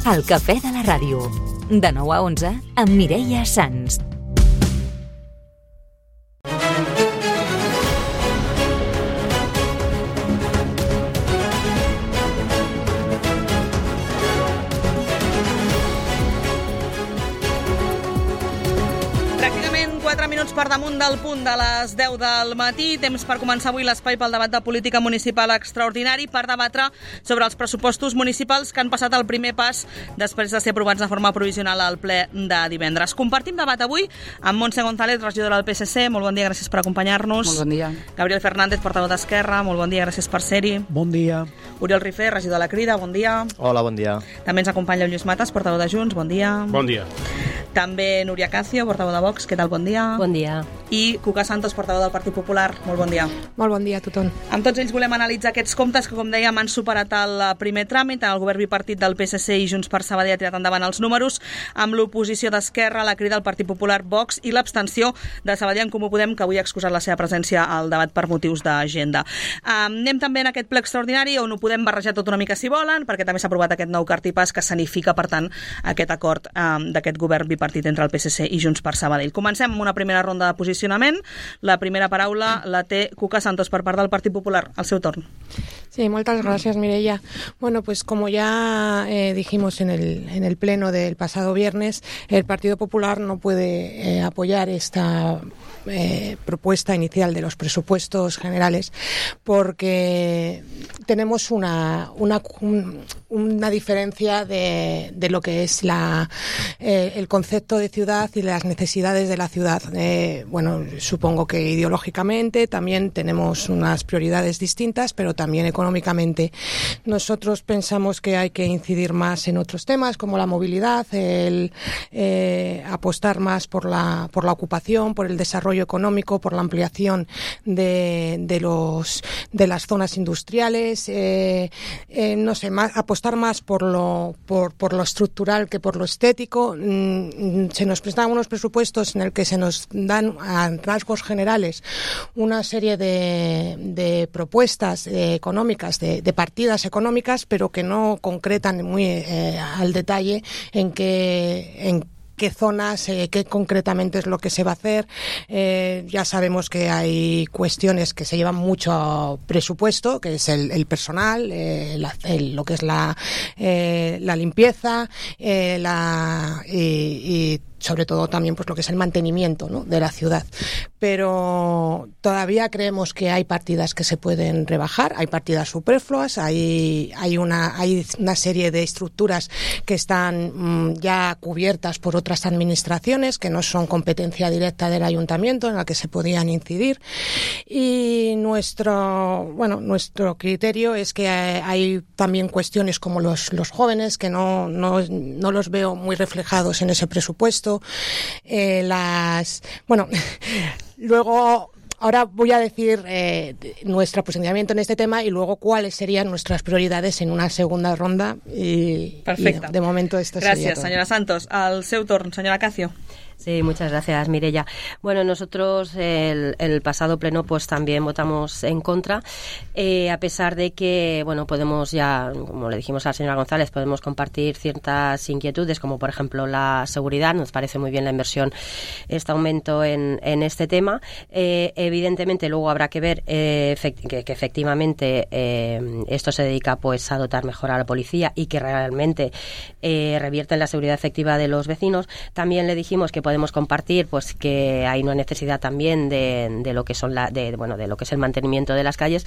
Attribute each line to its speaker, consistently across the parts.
Speaker 1: El cafè de la ràdio. De 9 a 11 amb Mireia Sans.
Speaker 2: Pràcticament 4 minuts per damunt del punt de les 10 del matí. Temps per començar avui l'espai pel debat de política municipal extraordinari per debatre sobre els pressupostos municipals que han passat el primer pas després de ser aprovats de forma provisional al ple de divendres. Compartim debat avui amb Montse González, regidora del PSC. Molt bon dia, gràcies per acompanyar-nos.
Speaker 3: Molt bon dia.
Speaker 2: Gabriel Fernández, portaveu d'Esquerra. Molt bon dia, gràcies per ser-hi.
Speaker 4: Bon dia.
Speaker 2: Oriol Rifé, regidor de la Crida. Bon dia.
Speaker 5: Hola, bon dia.
Speaker 2: També ens acompanya Lluís Matas, portaveu de Junts. Bon dia.
Speaker 6: Bon dia.
Speaker 2: També Núria Cacio, portaveu de Vox. Què tal? Bon dia.
Speaker 7: Bon dia.
Speaker 2: I Cuca Santos, portaveu del Partit Popular. Molt bon dia.
Speaker 8: Molt bon dia a tothom.
Speaker 2: Amb tots ells volem analitzar aquests comptes que, com dèiem, han superat el primer tràmit. El govern bipartit del PSC i Junts per Sabadell ha tirat endavant els números, amb l'oposició d'Esquerra, la Crida del Partit Popular, Vox i l'abstenció de Sabadell en Comú Podem, que avui ha excusat la seva presència al debat per motius d'agenda. Anem també en aquest ple extraordinari, on ho podem barrejar tot una mica si volen, perquè també s'ha aprovat aquest nou cartipàs que sanifica, per tant, aquest acord d'aquest govern bipartit entre el PSC i Junts per Sabadell. Comencem amb una primera ronda de posicionament. La primera paraula la té Cuca Santos per part del Partit Popular. Al seu torn.
Speaker 8: Sí, muchas gracias, Mireia. Bueno, pues como ya dijimos en el pleno del pasado viernes, el Partido Popular no puede apoyar esta propuesta inicial de los presupuestos generales porque tenemos una diferencia de lo que es el concepto de ciudad y las necesidades de la ciudad. Bueno, supongo que ideológicamente también tenemos unas prioridades distintas, pero también económicamente. Nosotros pensamos que hay que incidir más en otros temas como la movilidad, el apostar más por la ocupación, por el desarrollo económico, por la ampliación de las zonas industriales, no sé, apostar más por lo estructural que por lo estético. Se nos presentan unos presupuestos en el que se nos dan a rasgos generales una serie de propuestas económicas, de partidas económicas, pero que no concretan muy al detalle en qué zonas, qué concretamente es lo que se va a hacer. Ya sabemos que hay cuestiones que se llevan mucho presupuesto, que es el personal, lo que es la limpieza, y sobre todo también pues lo que es el mantenimiento, ¿no?, de la ciudad. Pero todavía creemos que hay partidas que se pueden rebajar, hay partidas superfluas, hay una serie de estructuras que están ya cubiertas por otras administraciones que no son competencia directa del ayuntamiento, en la que se podían incidir. Y nuestro criterio es que hay también cuestiones como los jóvenes que no los veo muy reflejados en ese presupuesto. Luego, ahora voy a decir nuestro posicionamiento en este tema y luego cuáles serían nuestras prioridades en una segunda ronda.
Speaker 2: Perfecte.
Speaker 8: Y de momento esto sería todo.
Speaker 2: Gràcies, senyora Santos. Al seu torn, senyora Cacio.
Speaker 7: Sí, muchas gracias, Mireia. Bueno, nosotros el pasado pleno pues también votamos en contra, a pesar de que, bueno, podemos ya, como le dijimos a la señora González, podemos compartir ciertas inquietudes, como por ejemplo la seguridad. Nos parece muy bien la inversión, este aumento en este tema. Evidentemente luego habrá que ver que efectivamente esto se dedica pues a dotar mejor a la policía y que realmente revierte en la seguridad efectiva de los vecinos. También le dijimos que podemos compartir pues que hay una necesidad también de lo que son de lo que es el mantenimiento de las calles,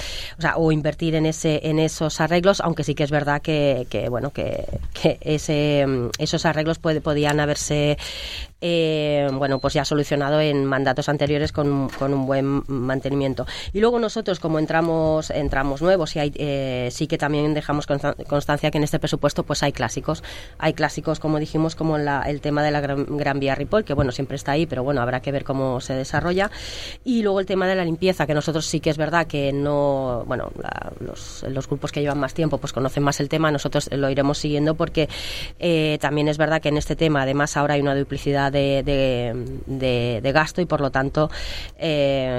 Speaker 7: o invertir en esos arreglos, aunque sí que es verdad que esos arreglos podían haberse pues ya solucionado en mandatos anteriores con un buen mantenimiento. Y luego nosotros, como entramos nuevos, y sí que también dejamos constancia que en este presupuesto pues hay clásicos, como dijimos, como el tema de la Gran Vía Ripoll, que bueno, siempre está ahí, pero bueno, habrá que ver cómo se desarrolla. Y luego el tema de la limpieza, que nosotros sí que es verdad que no, bueno, los grupos que llevan más tiempo pues conocen más el tema. Nosotros lo iremos siguiendo porque también es verdad que en este tema además ahora hay una duplicidad de gasto y por lo tanto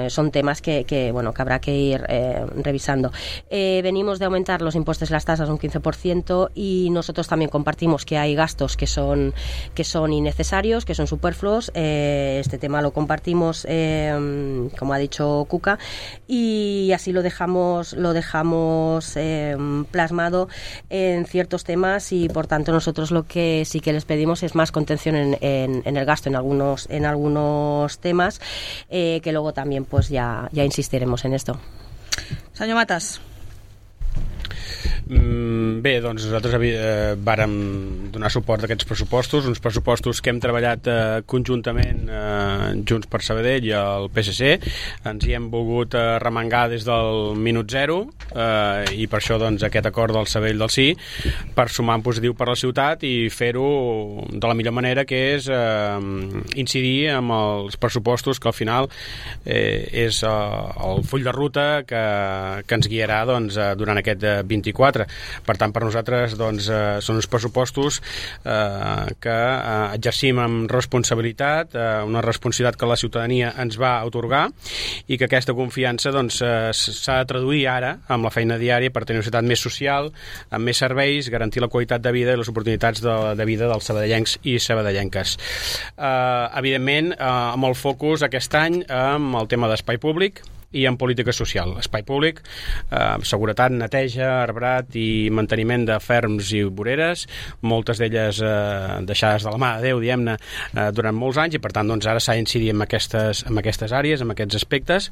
Speaker 7: son temas que habrá que ir revisando. Venimos de aumentar los impuestos y las tasas un 15% y nosotros también compartimos que hay gastos que son innecesarios, que son superfluos. Este tema lo compartimos, como ha dicho Cuca, y así lo dejamos plasmado en ciertos temas y por tanto nosotros lo que sí que les pedimos es más contención en el gasto en algunos temas, que luego también pues ya insistiremos en esto.
Speaker 2: Senyor Matas.
Speaker 3: Bé, doncs nosaltres vàrem donar suport a aquests pressupostos, uns pressupostos que hem treballat conjuntament Junts per Sabadell i el PSC. Ens hi hem volgut remengar des del minut zero i per això doncs, aquest acord del Sabadell del Sí, per sumar en positiu per la ciutat i fer-ho de la millor manera, que és incidir amb els pressupostos, que al final és el full de ruta que ens guiarà doncs, durant aquest 24. Per tant, per nosaltres doncs, són uns pressupostos que exercim amb responsabilitat, una responsabilitat que la ciutadania ens va atorgar i que aquesta confiança doncs, s'ha de traduir ara amb la feina diària per tenir una ciutat més social, amb més serveis, garantir la qualitat de vida i les oportunitats de vida dels sabadellencs i sabadellenques. Evidentment, amb el focus aquest any amb el tema d'espai públic i en política social. Espai públic, seguretat, neteja, arbrat i manteniment de ferms i voreres, moltes d'elles deixades de la mà de Déu, diguem-ne, durant molts anys, i per tant doncs, ara s'ha d'incidir en aquestes àrees, en aquests aspectes,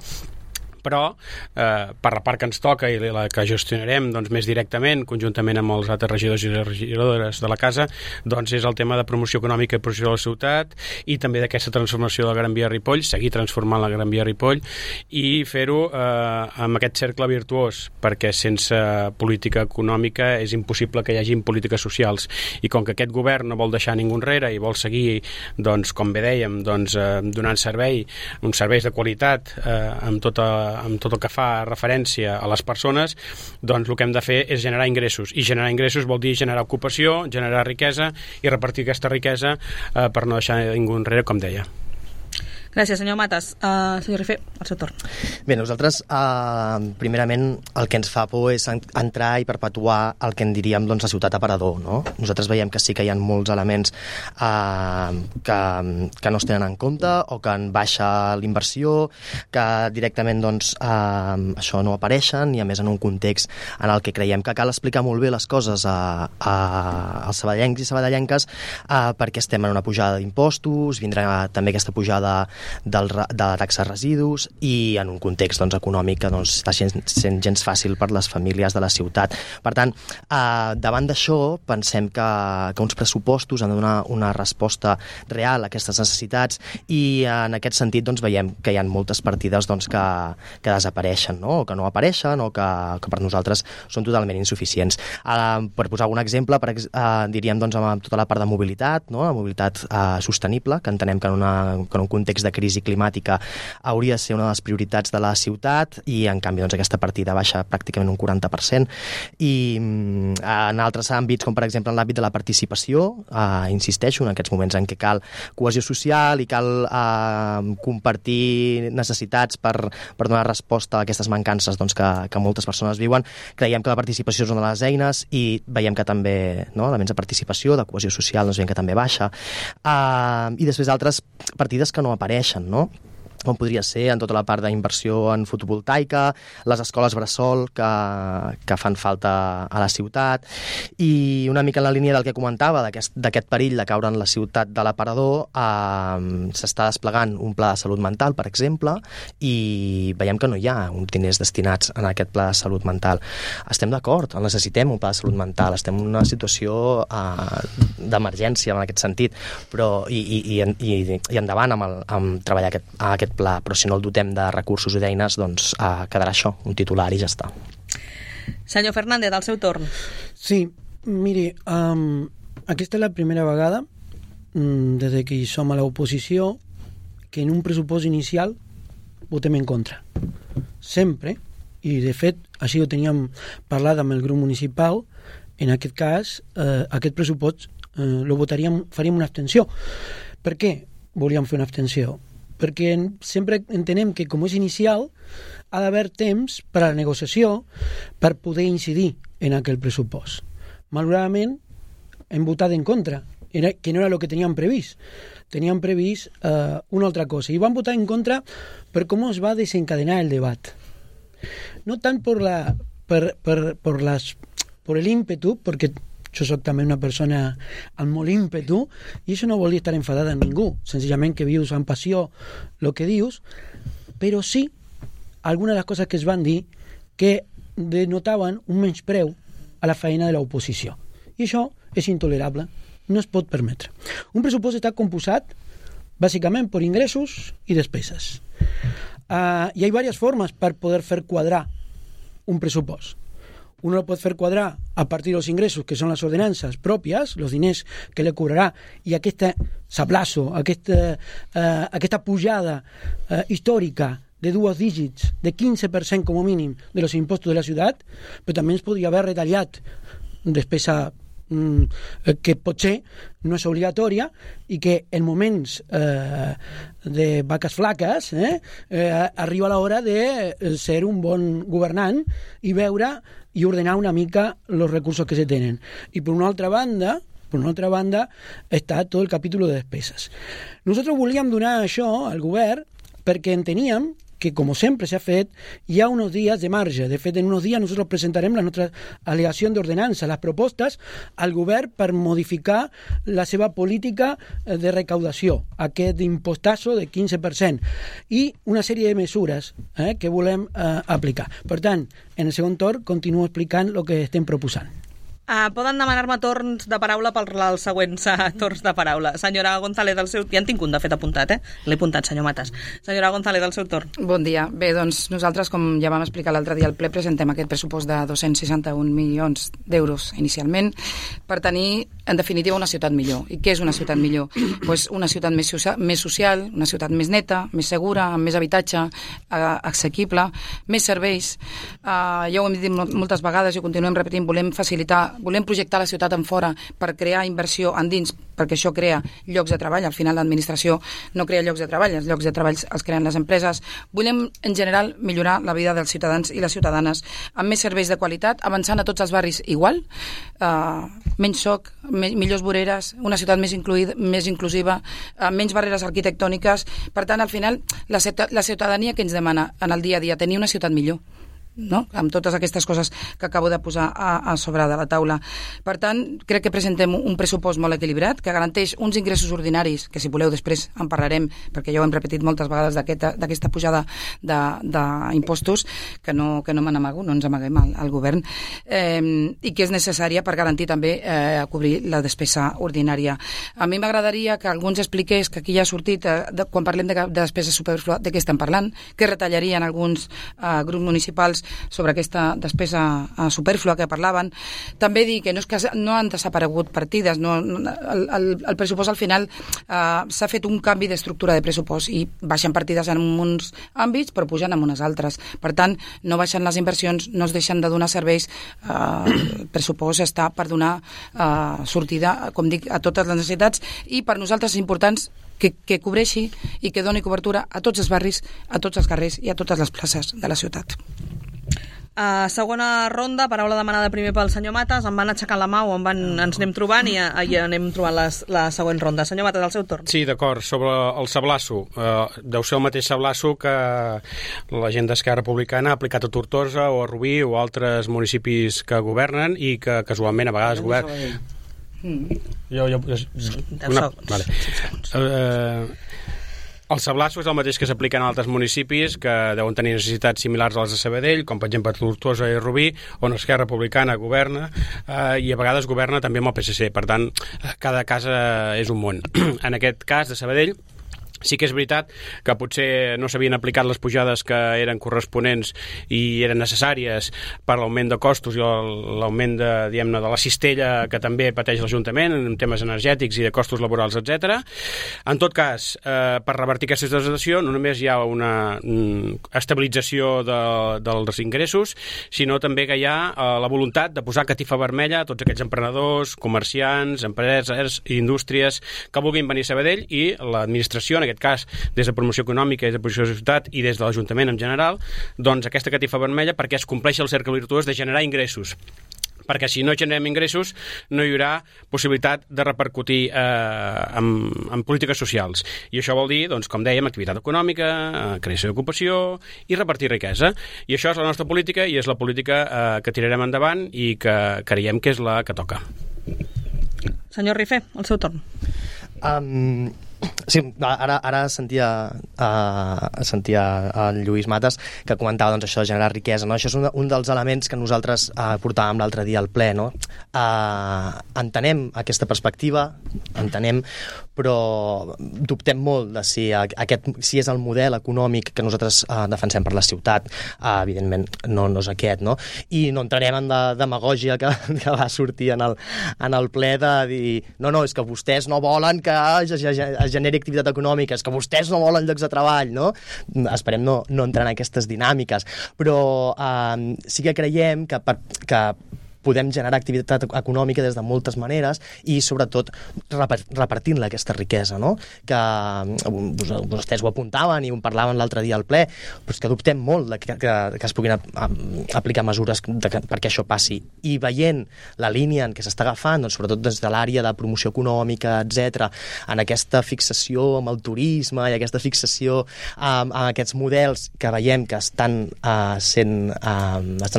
Speaker 3: però per la part que ens toca i la que gestionarem doncs, més directament, conjuntament amb els altres regidors i regidores de la casa, doncs és el tema de promoció econòmica i promoció de la ciutat i també d'aquesta transformació de la Gran Via Ripoll, seguir transformant la Gran Via Ripoll i fer-ho amb aquest cercle virtuós, perquè sense política econòmica és impossible que hi hagi polítiques socials, i com que aquest govern no vol deixar ningú enrere i vol seguir, doncs, com bé dèiem, doncs, donant uns serveis de qualitat amb tot el que fa referència a les persones, doncs el que hem de fer és generar ingressos, i generar ingressos vol dir generar ocupació, generar riquesa i repartir aquesta riquesa per no deixar ningú enrere, com deia.
Speaker 2: Gràcies, senyor Matas. Senyor Rifé, el seu torn.
Speaker 4: Bé, nosaltres, primerament, el que ens fa por és entrar i perpetuar el que en diríem doncs, la ciutat aparador, no? Nosaltres veiem que sí que hi ha molts elements que no es tenen en compte o que en baixa l'inversió, que directament doncs, això no apareixen, i a més en un context en el que creiem que cal explicar molt bé les coses als sabadellencs i sabadellenques, perquè estem en una pujada d'impostos, vindrà també aquesta pujada de la taxa de residus, i en un context doncs, econòmic que doncs, està sent gens fàcil per les famílies de la ciutat. Per tant, davant d'això, pensem que uns pressupostos han de donar una resposta real a aquestes necessitats, i en aquest sentit doncs, veiem que hi ha moltes partides doncs, que desapareixen, no? O que no apareixen, o que per nosaltres són totalment insuficients. Per posar algun exemple, diríem doncs, amb tota la part de mobilitat, no? La mobilitat sostenible, que entenem que en un context de crisi climàtica hauria de ser una de les prioritats de la ciutat, i en canvi doncs, aquesta partida baixa pràcticament un 40%. I en altres àmbits, com per exemple en l'àmbit de la participació, insisteixo, en aquests moments en què cal cohesió social i cal compartir necessitats per donar resposta a aquestes mancances doncs, que moltes persones viuen, creiem que la participació és una de les eines, i veiem que també, no, elements de participació, de cohesió social, doncs veiem que també baixa. I després altres partides que no apareixen, no? Com podria ser en tota la part d'inversió en fotovoltaica, les escoles bressol que fan falta a la ciutat, i una mica en la línia del que comentava, d'aquest perill de caure en la ciutat de l'aparador, s'està desplegant un pla de salut mental, per exemple, i veiem que no hi ha uns diners destinats en aquest pla de salut mental. Estem d'acord, necessitem un pla de salut mental, estem en una situació d'emergència en aquest sentit, però i endavant amb treballar aquest pla, però si no el dotem de recursos i d'eines, doncs quedarà això, un titular i ja està.
Speaker 2: Senyor Fernández, al seu torn.
Speaker 5: Sí, miri, aquesta és la primera vegada des que som a l'oposició que en un pressupost inicial votem en contra. Sempre, i de fet així ho teníem parlat amb el grup municipal, en aquest cas, aquest pressupost faríem una abstenció. Per què volíem fer una abstenció? Perquè sempre entenem que, com és inicial, ha d'haver temps per a la negociació per poder incidir en aquell pressupost. Malauradament, hem votat en contra, que no era el que teníem previst. Teníem previst una altra cosa. I vam votar en contra per com es va desencadenar el debat. No tant por el ímpetu, perquè jo soc també una persona amb molt ímpetu, i això no vol dir estar enfadada amb ningú, senzillament que vius amb passió el que dius, però sí algunes de les coses que es van dir que denotaven un menyspreu a la feina de l'oposició. I això és intolerable, no es pot permetre. Un pressupost està composat bàsicament per ingressos i despeses. Y hay varias formas para poder hacer cuadrar un presupuesto. Uno lo puede hacer cuadrar a partir de los ingresos, que son las ordenanzas propias, los diners que le cobrarà, i aquest sablazo, aquesta pujada històrica de 2 dígits, de 15% com a mínim de los impostos de la ciutat, però també es podria haver retallat despesa que potser no és obligatòria i que en moments de vaques flaques arriba l'hora de ser un bon governant i veure i ordenar una mica els recursos que se tenen. I per una altra banda està tot el capítol de despeses. Nosaltres volíem donar això al govern perquè enteníem que, como siempre se ha fet, hi ha unos días de marge. De fet, en unos días nosotros presentarem la nostra alegació d'ordenança, les propostes al govern per modificar la seva política de recaudació, aquest impostazo de 15%, i una sèrie de mesures que volem aplicar. Per tant, en el segon torn continuo explicant el que estem proposant.
Speaker 2: Poden demanar-me torns de paraula per als següents torns de paraula. Senyora González, del seu... Ja en tinc un, de fet, apuntat, L'he apuntat, senyor Matas. Senyora González, del seu torn.
Speaker 6: Bon dia. Bé, doncs nosaltres, com ja vam explicar l'altre dia al ple, presentem aquest pressupost de 261 milions d'euros inicialment per tenir, en definitiva, una ciutat millor. I què és una ciutat millor? Pues una ciutat més social, una ciutat més neta, més segura, amb més habitatge, assequible, més serveis. Ja ho hem dit moltes vegades i ho continuem repetint, volem projectar la ciutat en fora per crear inversió endins, perquè això crea llocs de treball. Al final l'administració no crea llocs de treball, els llocs de treball els creen les empreses. Volem, en general, millorar la vida dels ciutadans i les ciutadanes amb més serveis de qualitat, avançant a tots els barris igual, menys soc, millors voreres, una ciutat més inclusiva, menys barreres arquitectòniques. Per tant, al final, la ciutadania que ens demana en el dia a dia tenir una ciutat millor, no? Amb totes aquestes coses que acabo de posar a sobre de la taula. Per tant, crec que presentem un pressupost molt equilibrat, que garanteix uns ingressos ordinaris, que si voleu després en parlarem, perquè ja ho hem repetit moltes vegades d'aquesta pujada d'impostos, que no me n'amago, no ens amaguem al govern, i que és necessària per garantir també cobrir la despesa ordinària. A mi m'agradaria que algú ens expliqués, que aquí ja ha sortit, quan parlem de despesa superflua, de què estem parlant, que retallarien alguns grups municipals sobre aquesta despesa superflua que parlaven. També dir que no han desaparegut partides, el pressupost al final s'ha fet un canvi d'estructura de pressupost i baixen partides en uns àmbits però pugen en unes altres. Per tant, no baixen les inversions, no es deixen de donar serveis. El pressupost està per donar sortida, com dic, a totes les necessitats, i per nosaltres és important que cobreixi i que doni cobertura a tots els barris, a tots els carrers i a totes les places de la ciutat.
Speaker 2: Segona ronda, paraula demanada primer pel senyor Matas. Em van aixecant la mà o ens anem trobant i anem trobant la següent ronda. Senyor Matas, al seu torn.
Speaker 3: Sí, d'acord. Sobre el sablasso, deu ser el mateix sablasso que la gent d'Esquerra Republicana ha aplicat a Tortosa o a Rubí o a altres municipis que governen i que casualment a vegades governen. El sablasso és el mateix que s'aplica en altres municipis que deuen tenir necessitats similars a les de Sabadell, com per exemple Tortosa i Rubí, on Esquerra Republicana governa i a vegades governa també amb el PSC. Per tant, cada casa és un món. En aquest cas de Sabadell, Sí que és veritat que potser no s'havien aplicat les pujades que eren corresponents i eren necessàries per l'augment de costos i l'augment de la cistella que també pateix l'Ajuntament en temes energètics i de costos laborals, etc. En tot cas, per revertir aquesta situació no només hi ha una estabilització dels ingressos, sinó també que hi ha la voluntat de posar catifa vermella a tots aquells emprenedors, comerciants, empreses i indústries que vulguin venir a Sabadell, i l'administració, en aquest cas, des de promoció econòmica, des de promoció de ciutat i des de l'Ajuntament en general, doncs aquesta catifa vermella perquè es compleixi el cercle virtuós de generar ingressos. Perquè si no generem ingressos no hi haurà possibilitat de repercutir en polítiques socials. I això vol dir, doncs, com dèiem, activitat econòmica, creació d'ocupació i repartir riquesa. I això és la nostra política i és la política que tirarem endavant i que creiem que és la que toca.
Speaker 2: Senyor Rifé, el seu torn.
Speaker 4: Sí, ara sentia el Lluís Matas que comentava doncs, això de generar riquesa, no? Això és un dels elements que nosaltres portàvem l'altre dia al ple, no? Entenem aquesta perspectiva, però dubtem molt de si és el model econòmic que nosaltres defensem per la ciutat. Evidentment no és aquest, no? I no entrarem en demagògia que va sortir en el ple de dir no, és que vostès no volen que es generi activitat econòmica, és que vostès no volen llocs de treball, no? Esperem no entrar en aquestes dinàmiques, però sí que creiem que podem generar activitat econòmica des de moltes maneres i, sobretot, repartint-la, aquesta riquesa, no? Que vostès ho apuntaven i ho parlaven l'altre dia al ple, però és que dubtem molt que es puguin aplicar mesures perquè això passi. I veient la línia en què s'està agafant, doncs, sobretot des de l'àrea de promoció econòmica, etc., en aquesta fixació amb el turisme i aquesta fixació amb aquests models que veiem que estan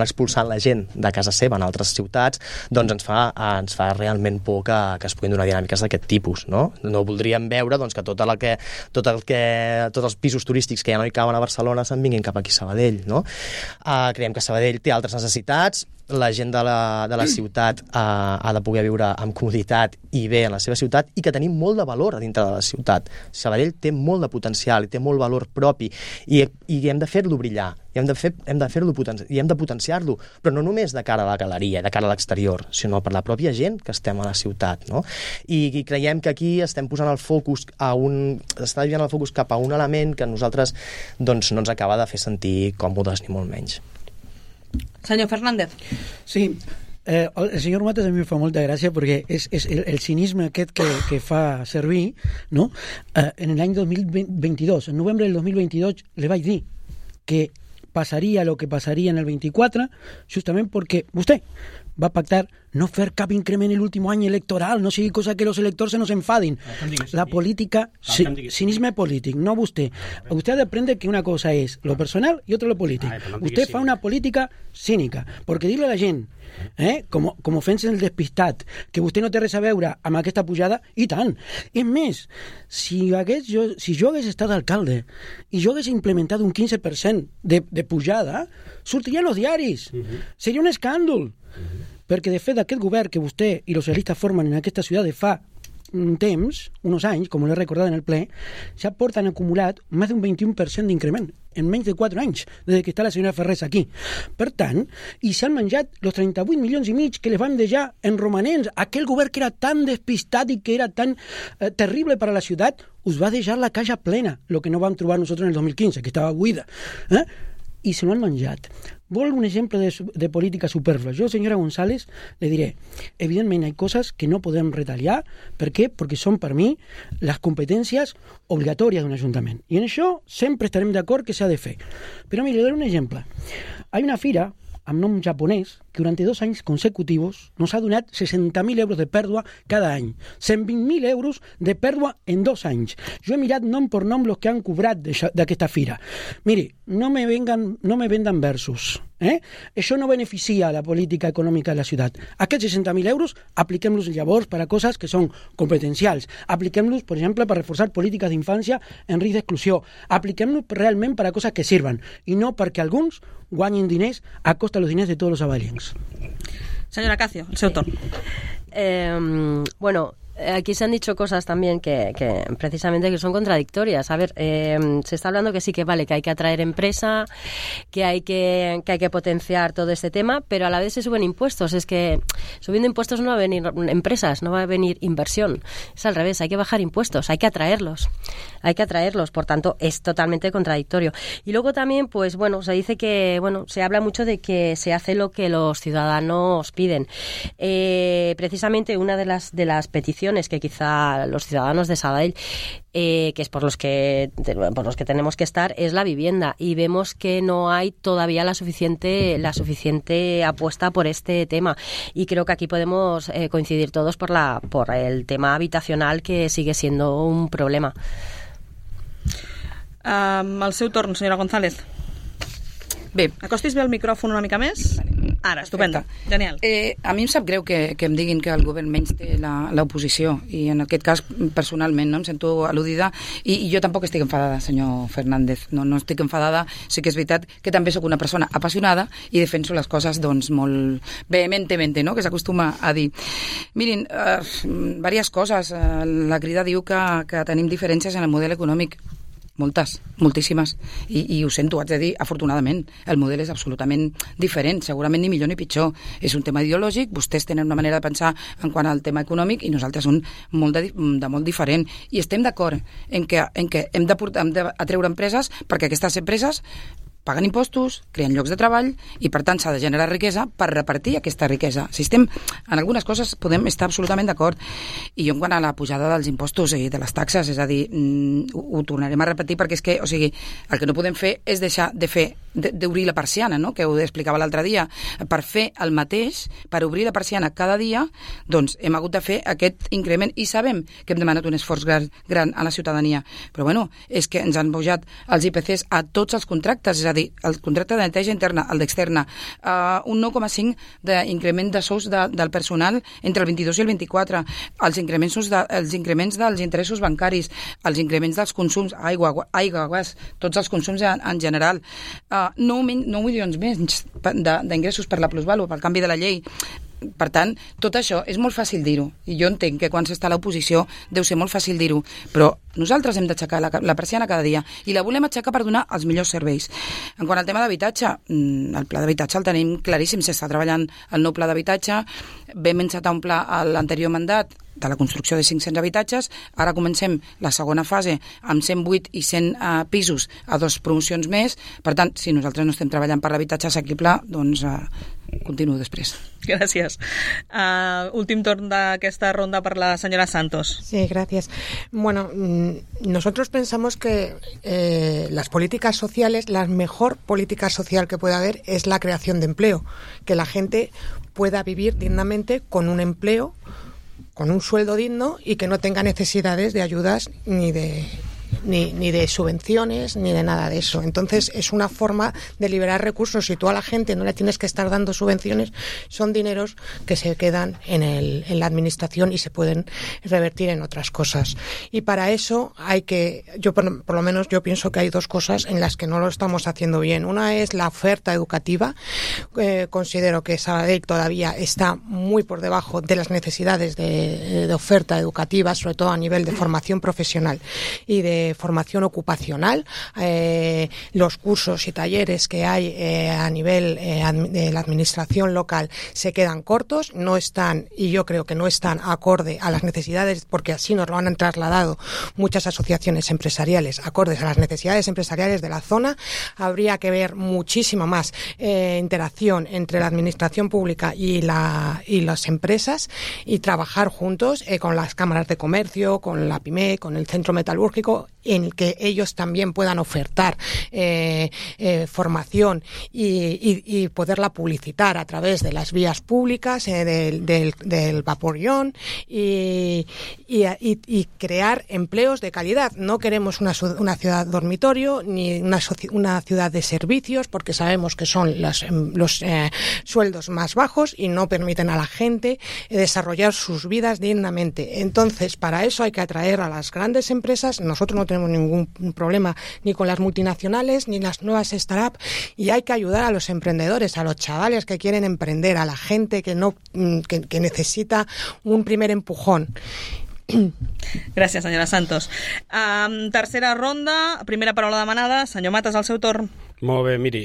Speaker 4: expulsant la gent de casa seva en altres ciutats, doncs ens fa realment por que es puguin donar dinàmiques d'aquest tipus, no? No voldríem veure doncs, que tots els pisos turístics que ja no hi cauen a Barcelona se'n vinguin cap aquí a Sabadell, no? Creiem que Sabadell té altres necessitats, la gent de la ciutat ha de poder viure amb comoditat i bé en la seva ciutat, i que tenim molt de valor a dintre de la ciutat. Sabadell té molt de potencial i té molt valor propi i hem de fer-lo brillar, i hem de potenciar-lo, però no només de cara a la galeria, de cara a l'exterior, sinó per la pròpia gent que estem a la ciutat, no? I creiem que aquí estem posant el focus està desviant el focus cap a un element que a nosaltres doncs, no ens acaba de fer sentir còmodes ni molt menys.
Speaker 2: Senyor Fernández.
Speaker 5: Sí, el senyor Matas a mi em fa molta gràcia perquè és el cinisme aquest que fa servir, no? En l'any 2022, en novembre del 2022, le vaig dir que passaria lo que passaria en el 24, justament perquè vostè va pactar no fer cap increment en l'últim any electoral, no sigui cosa que los electors se nos enfadin. La política, cinisme polític, no vostè. Usted ha de aprender que una cosa és lo personal y otra lo polític. Usted fa una política cínica, perquè dir-li a la gent, com ofensa el despistat, que vostè no té res a veure amb aquesta pujada, i tant. És més, si jo hagués estat alcalde i jo hagués implementat un 15% de pujada, sortiria en els diaris. Seria un escàndol. Perquè, de fet, aquest govern que vostè i els socialistes formen en aquesta ciutat de fa un temps, uns anys, com l'he recordat en el ple, ja porten acumulat més d'un 21% d'increment en menys de 4 anys, des que està la senyora Ferrés aquí. Per tant, i s'han menjat els 38 milions i mig que les van deixar en romanents. Aquell govern que era tan despistat i que era tan terrible per a la ciutat, us va deixar la caixa plena, el que no vam trobar nosaltres en el 2015, que estava buida. I se l'han menjat. Vol un exemple de política superflua? Jo, senyora González, le diré, evidentment hi ha coses que no podem retallar. Per què? Perquè són per mi les competències obligatòries d'un ajuntament. I en això sempre estarem d'acord que s'ha de fer. Però mire, le daré un exemple. Hi ha una fira amb nom japonès que durant 2 anys consecutivos nos ha donat 60.000 euros de pèrdua cada any. 120.000 euros de pèrdua en 2 anys. Jo he mirat nom per nom los que han cobrat d'aquesta fira. Mire, no me vendan versos. Això no beneficia la política econòmica de la ciutat. Aquests 60.000 euros apliquem-los llavors per a coses que són competencials. Apliquem-los, per exemple, per reforçar polítiques d'infància en risc d'exclusió. Apliquem-los realment per a coses que sirven i no perquè alguns guanyin diners a costa dels diners de tots els sabadiellencs.
Speaker 2: Senyora Cacio, el seu torn.
Speaker 7: Bueno, aquí se han dicho cosas también que precisamente que son contradictorias. A ver, se está hablando que sí que vale, que hay que atraer empresa, que hay que potenciar todo este tema, pero a la vez se suben impuestos. Es que subiendo impuestos no va a venir empresas, no va a venir inversión. Es al revés, hay que bajar impuestos, hay que atraerlos. Por tanto, es totalmente contradictorio. Y luego también, pues bueno, se dice que, bueno, se habla mucho de que se hace lo que los ciudadanos piden. Precisamente una de las peticiones que quizá los ciudadanos de Sabadell, que es por los que tenemos que estar, es la vivienda, y vemos que no hay todavía la suficiente apuesta por este tema, y creo que aquí podemos coincidir todos por el tema habitacional, que sigue siendo un problema.
Speaker 2: Al seu torn, senyora González.
Speaker 6: Bé.
Speaker 2: Acostis bé el micròfon una mica més? Vale. Ara, estupenda. Genial.
Speaker 6: A mi em sap greu que em diguin que el govern menys té l'oposició, i en aquest cas, personalment, no em sento al·ludida, i jo tampoc estic enfadada, senyor Fernández. No estic enfadada, sí que és veritat que també sóc una persona apassionada i defenso les coses doncs molt vehementemente, no?, que s'acostuma a dir. Mirin, diverses coses. La Crida diu que tenim diferències en el model econòmic. Moltíssimes, i ho sento, haig de dir, afortunadament el model és absolutament diferent, segurament ni millor ni pitjor, és un tema ideològic, vostès tenen una manera de pensar en quant al tema econòmic i nosaltres un de molt diferent, i estem d'acord en que hem d'atreure empreses, perquè aquestes empreses paguen impostos, creen llocs de treball i, per tant, s'ha de generar riquesa per repartir aquesta riquesa. Si estem en algunes coses podem estar absolutament d'acord. I jo, en quant a la pujada dels impostos i de les taxes, és a dir, ho tornarem a repetir, perquè és que, o sigui, el que no podem fer és deixar d'obrir la persiana, no?, que ho explicava l'altre dia. Per fer el mateix, per obrir la persiana cada dia, doncs hem hagut de fer aquest increment, i sabem que hem demanat un esforç gran a la ciutadania. Però, bueno, és que ens han pujat els IPCs a tots els contractes, és a dir, el contracte de neteja interna, el d'externa, un 9,5 d'increment de sous del personal entre el 22 i el 24, els increments dels interessos bancaris, els increments dels consums, aigua, gas, tots els consums en general, 9 milions més d'ingressos per la plusvàlua, pel canvi de la llei. Per tant, tot això és molt fàcil dir-ho, i jo entenc que quan s'està a l'oposició deu ser molt fàcil dir-ho, però nosaltres hem d'aixecar la persiana cada dia, i la volem aixecar per donar els millors serveis. En quant al tema d'habitatge, el pla d'habitatge el tenim claríssim, s'està treballant el nou pla d'habitatge, vam encetar un pla a l'anterior mandat de la construcció de 500 habitatges, ara comencem la segona fase amb 108 i 100 pisos a 2 promocions més. Per tant, si nosaltres no estem treballant per l'habitatge assequible, doncs continuo després.
Speaker 2: Gràcies. Últim torn d'aquesta ronda per la senyora Santos.
Speaker 8: Sí, gracias. Bueno, nosotros pensamos que las políticas sociales, la mejor política social que puede haber es la creación de empleo, que la gente pueda vivir dignamente con un empleo, con un sueldo digno, y que no tenga necesidades de ayudas ni de subvenciones ni de nada de eso. Entonces es una forma de liberar recursos. Si tú a la gente no le tienes que estar dando subvenciones, son dineros que se quedan en la administración y se pueden revertir en otras cosas. Y para eso hay que, yo por lo menos yo pienso que hay 2 cosas en las que no lo estamos haciendo bien. Una es la oferta educativa. Considero que Sabadell todavía está muy por debajo de las necesidades de oferta educativa, sobre todo a nivel de formación profesional y de formación ocupacional. Los cursos y talleres que hay a nivel de la administración local se quedan cortos, no están, y yo creo que no están acorde a las necesidades, porque así nos lo han trasladado muchas asociaciones empresariales, acordes a las necesidades empresariales de la zona. Habría que ver muchísima más interacción entre la administración pública y las empresas, y trabajar juntos con las cámaras de comercio, con la PYME, con el centro metalúrgico, en el que ellos también puedan ofertar formación y poderla publicitar a través de las vías públicas, del vaporeón, y crear empleos de calidad. No queremos una ciudad dormitorio ni una ciudad de servicios, porque sabemos que son los sueldos más bajos y no permiten a la gente desarrollar sus vidas dignamente. Entonces, para eso hay que atraer a las grandes empresas. Nosotros no tenemos ningún problema ni con las multinacionales ni las nuevas startups, y hay que ayudar a los emprendedores, a los chavales que quieren emprender, a la gente que necesita un primer empujón.
Speaker 2: Gràcies, senyora Santos. Tercera ronda, primera paraula demanada. Senyor Matas, al seu torn.
Speaker 3: Molt bé, miri,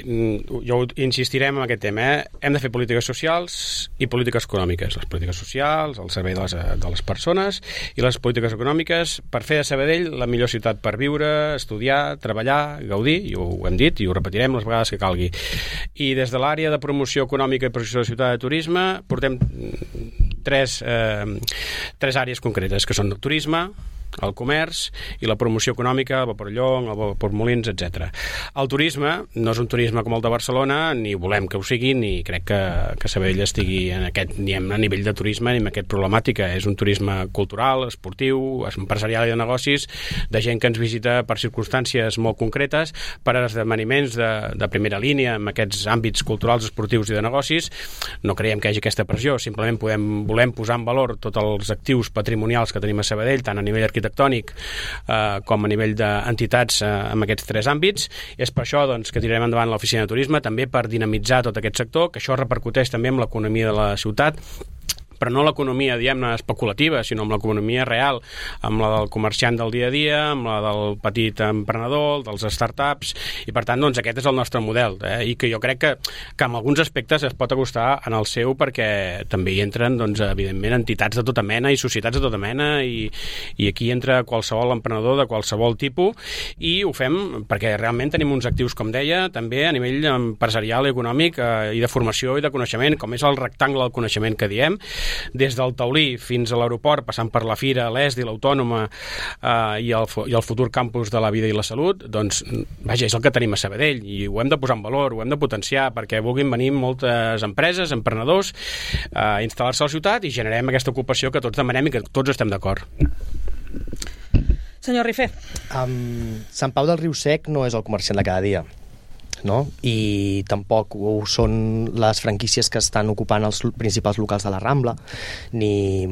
Speaker 3: jo insistirem en aquest tema. Hem de fer polítiques socials i polítiques econòmiques. Les polítiques socials, al servei de les persones, i les polítiques econòmiques per fer de Sabadell la millor ciutat per viure, estudiar, treballar, gaudir, i ho hem dit i ho repetirem les vegades que calgui. I des de l'àrea de promoció econòmica i projecció de ciutat de turisme portem tres àrees concretes, que són el turisme, el comerç i la promoció econòmica, el vapor Llong, el vapor Molins, etc. El turisme no és un turisme com el de Barcelona, ni volem que ho sigui, ni crec que Sabadell estigui ni a nivell de turisme ni en aquesta problemàtica. És un turisme cultural, esportiu, empresarial i de negocis, de gent que ens visita per circumstàncies molt concretes, per esdeveniments de primera línia en aquests àmbits culturals, esportius i de negocis. No creiem que hi hagi aquesta pressió, simplement volem posar en valor tots els actius patrimonials que tenim a Sabadell, tant a nivell arquitectònic com a nivell d'entitats en aquests tres àmbits. És per això que tirarem endavant l'oficina de turisme, també per dinamitzar tot aquest sector, que això repercuteix també en l'economia de la ciutat, però no l'economia, diguem-ne, especulativa, sinó amb l'economia real, amb la del comerciant del dia a dia, amb la del petit emprenedor, dels startups, i per tant, aquest és el nostre model, i que jo crec que en alguns aspectes es pot acostar en el seu, perquè també hi entren, evidentment, entitats de tota mena i societats de tota mena, i aquí entra qualsevol emprenedor de qualsevol tipus, i ho fem perquè realment tenim uns actius, com deia, també a nivell empresarial i econòmic, i de formació i de coneixement, com és el rectangle del coneixement que diem, des del Taulí fins a l'aeroport, passant per la Fira, l'ESDI, l'Autònoma i el futur campus de la vida i la salut, vaja, és el que tenim a Sabadell, i ho hem de posar en valor, ho hem de potenciar, perquè vulguin venir moltes empreses, emprenedors, a instal·lar-se a la ciutat i generem aquesta ocupació que tots demanem i que tots estem d'acord.
Speaker 2: Senyor Rifé.
Speaker 4: Sant Pau del Riu Sec no és el comerciant de cada dia, no? I tampoc ho són les franquícies que estan ocupant els principals locals de la Rambla, ni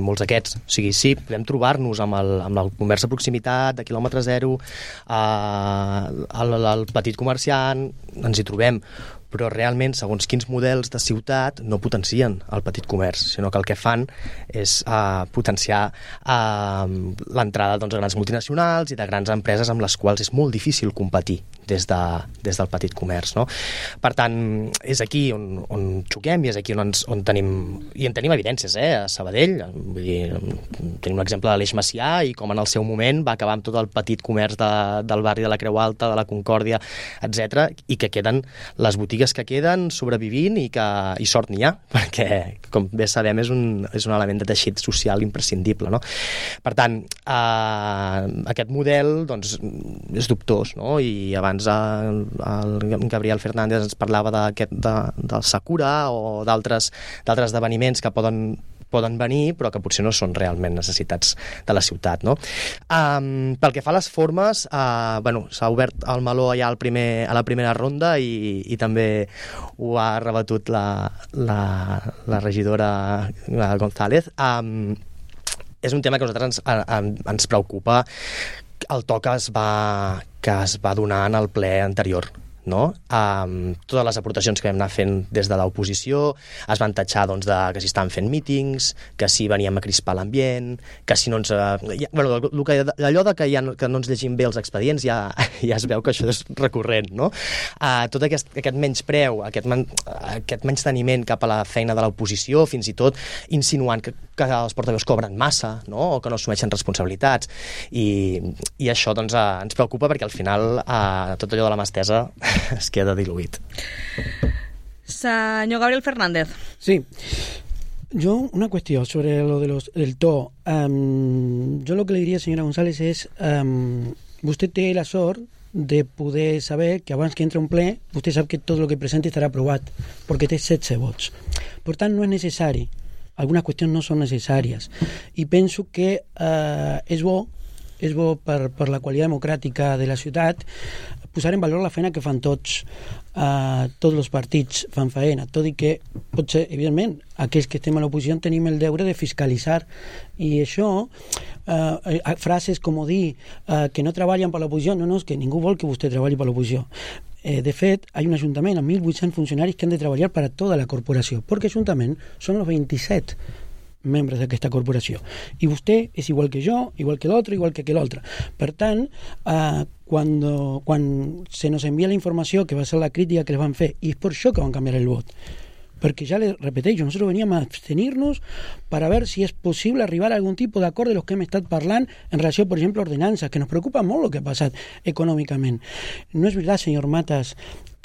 Speaker 4: molts d'aquests. O sigui, sí, podem trobar-nos amb el comerç de proximitat, de quilòmetre zero, el petit comerciant, ens hi trobem, però realment, segons quins models de ciutat, no potencien el petit comerç, sinó que el que fan és potenciar l'entrada de grans multinacionals i de grans empreses amb les quals és molt difícil competir des del petit comerç, no? Per tant, és aquí on xoquem i és aquí on tenim evidències, a Sabadell. Vull dir, tenim l'exemple de l'Eix Macià i com en el seu moment va acabar amb tot el petit comerç del barri de la Creu Alta, de la Concòrdia, etc, i que queden les botigues que queden sobrevivint i sort n'hi ha, perquè, com bé sabem, és un element de teixit social imprescindible, no? Per tant, aquest model és dubtós, no? I abans el Gabriel Fernández ens parlava del Sakura o d'altres esdeveniments que poden venir, però que potser no són realment necessitats de la ciutat, no? Pel que fa a les formes, s'ha obert el meló ja a la primera ronda i també ho ha rebatut la regidora González. És un tema que a nosaltres ens preocupa, el to que es va donar en el ple anterior, no? Totes les aportacions que vam anar fent des de l'oposició es van tatxar que si estaven fent mítings, que si veníem a crispar l'ambient, que si no ens... allò que no ens llegim bé els expedients ja es veu que això és recurrent, no? Tot aquest menyspreu, aquest menysteniment cap a la feina de l'oposició, fins i tot insinuant que els portaveus cobren massa, no? O que no assumeixen responsabilitats, i això ens preocupa perquè al final tot allò de la mà estesa es queda diluït.
Speaker 2: Señor Gabriel Fernández.
Speaker 5: Sí. Yo, una cuestión sobre lo del to. Yo lo que le diría, señora González, es usted té la sort de poder saber que abans que entre un ple vostè sap que tot el que presenti estarà aprovat perquè té 16 vots. Per tant, no és necessari. Algunes qüestions no són necessàries. I penso que és bo per la qualitat democràtica de la ciutat posar en valor la feina que fan tots els partits fan feina, tot i que potser, evidentment, aquells que estem a l'oposició tenim el deure de fiscalitzar, i això, frases com dir que no treballen per l'oposició, no, és que ningú vol que vostè treballi per l'oposició. De fet, hay un ajuntament amb 1.800 funcionaris que han de treballar per a tota la corporació, perquè ajuntament són els 27 membres d'aquesta corporació. I vostè és igual que jo, igual que l'altre, igual que l'altre. Per tant, quan se nos envia la informació, que va ser la crítica que les van fer, i és per això que van canviar el vot, perquè ja les repeteixo, nosotros veníamos a abstenirnos para ver si es posible arribar a algún tipo d'acord de los que hem estat parlant en relació, per exemple, a ordenances, que nos preocupa molt el que ha passat econòmicament. No és veritat, senyor Matas,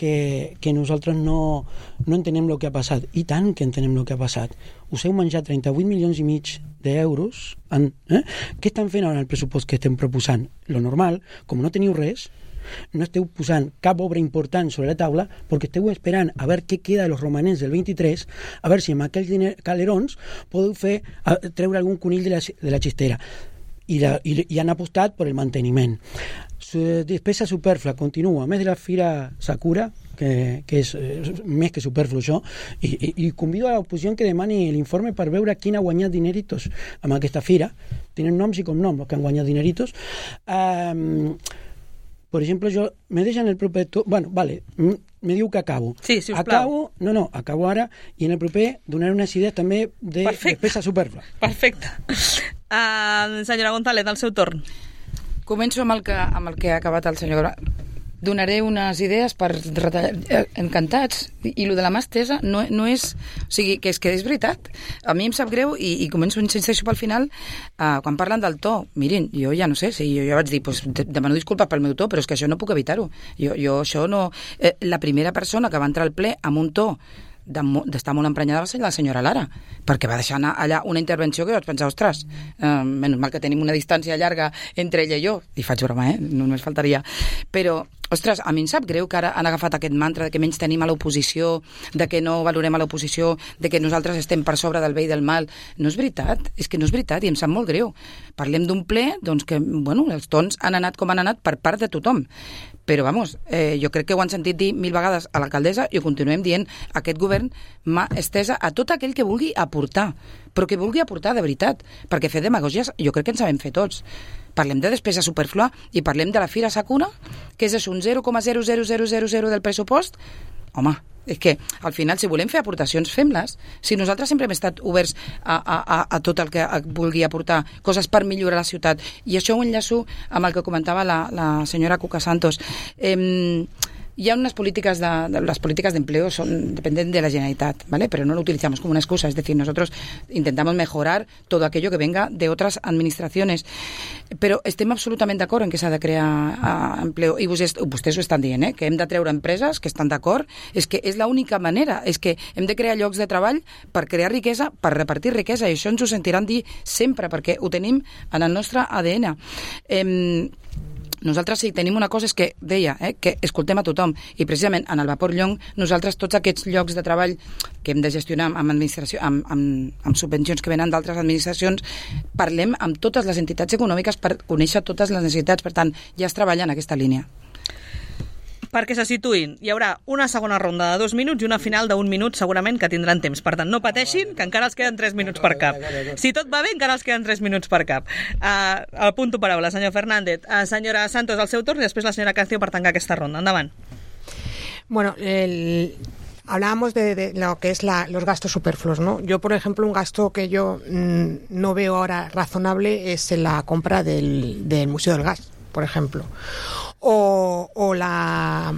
Speaker 5: que nosaltres no entenem el que ha passat. I tant que entenem el que ha passat. Us heu menjat 38 milions i mig d'euros. Què estan fent ara en el pressupost que estem proposant? Lo normal, com no teniu res, no esteu posant cap obra important sobre la taula perquè esteu esperant a veure què queda de los romanents del 23, a veure si amb aquells calerons podeu treure algun conill de la xistera. I han apostat per el manteniment. Despesa superflua continua, a més de la Fira Sakura, que és més que superflu això, i convido a l'oposició que demani l'informe per veure quin ha guanyat dineritos amb aquesta fira. Tenen noms i cognoms els que han guanyat dineritos. Per exemple, jo me deixen el proper... Bueno, vale, me diu que acabo.
Speaker 2: Sí, si us plau.
Speaker 5: Acabo ara, i en el proper donaré unes idees també de despesa superflua.
Speaker 2: Perfecte. Senyora González, al seu torn.
Speaker 6: Començo amb el que ha acabat el senyor... Donaré unes idees per retallar... Encantats. I lo de la mà estesa no és... O sigui, que és veritat. A mi em sap greu i començo insisteixo pel final quan parlen del to. Mirin, jo ja no sé, si jo ja vaig dir demano disculpes pel meu to, però és que això no puc evitar-ho. Jo això no... La primera persona que va entrar al ple amb un to d'estar molt emprenyada va ser la senyora Lara, perquè va deixar anar allà una intervenció que vaig pensar, ostres, menys mal que tenim una distància llarga entre ella i jo, i faig broma, només faltaria, però ostres, a mi em sap greu que ara han agafat aquest mantra de que menys tenim a l'oposició, de que no valorem a l'oposició, de que nosaltres estem per sobre del bé i del mal. No és veritat, és que no és veritat i em sap molt greu. Parlem d'un ple doncs que, bueno, els tons han anat com han anat per part de tothom. Però, vamos, jo crec que ho han sentit dir 1000 vegades a l'alcaldessa i ho continuem dient, aquest govern mà estesa a tot aquell que vulgui aportar, però que vulgui aportar de veritat, perquè fer demagògies jo crec que en sabem fer tots. Parlem de despesa superflua i parlem de la Fira Sakura, que és un 0,00000 del pressupost. Home, és que al final si volem fer aportacions, fem-les. Si nosaltres sempre hem estat oberts a tot el que vulgui aportar coses per millorar la ciutat, i això ho enllaço amb el que comentava la senyora Cuca Santos. Hi ha unas políticas las políticas de empleo dependen de la Generalitat, ¿vale? Pero no lo utilizamos como una excusa, es decir, nosotros intentamos mejorar todo aquello que venga de otras administraciones, però estem absolutament d'acord en que s'ha de crear empleo, i vostès ho estan dient, que hem de treure empreses que estan d'acord, és que és l'única manera, és que hem de crear llocs de treball per crear riquesa, per repartir riquesa, i això ens ho sentiran dir sempre, perquè ho tenim en el nostre ADN. Nosaltres sí, tenim una cosa, és que deia, que escoltem a tothom, i precisament en el Vapor Llong nosaltres tots aquests llocs de treball que hem de gestionar amb administració, amb subvencions que venen d'altres administracions, parlem amb totes les entitats econòmiques per conèixer totes les necessitats, per tant ja es treballa en aquesta línia.
Speaker 2: Perquè se situïn. Hi haurà una segona ronda de 2 minuts i una final d'1 minut segurament que tindran temps. Per tant, no pateixin, que encara els queden 3 minuts per cap. Si tot va bé, encara els queden 3 minuts per cap. Al punt de paraula, senyor Fernández. Senyora Santos, al seu torn, i després la senyora Cancio per tancar aquesta ronda. Endavant.
Speaker 8: Bueno, hablábamos de lo que es los gastos superfluos, ¿no? Yo, por ejemplo, un gasto que yo no veo ahora razonable es la compra del Museo del Gas, por ejemplo. O la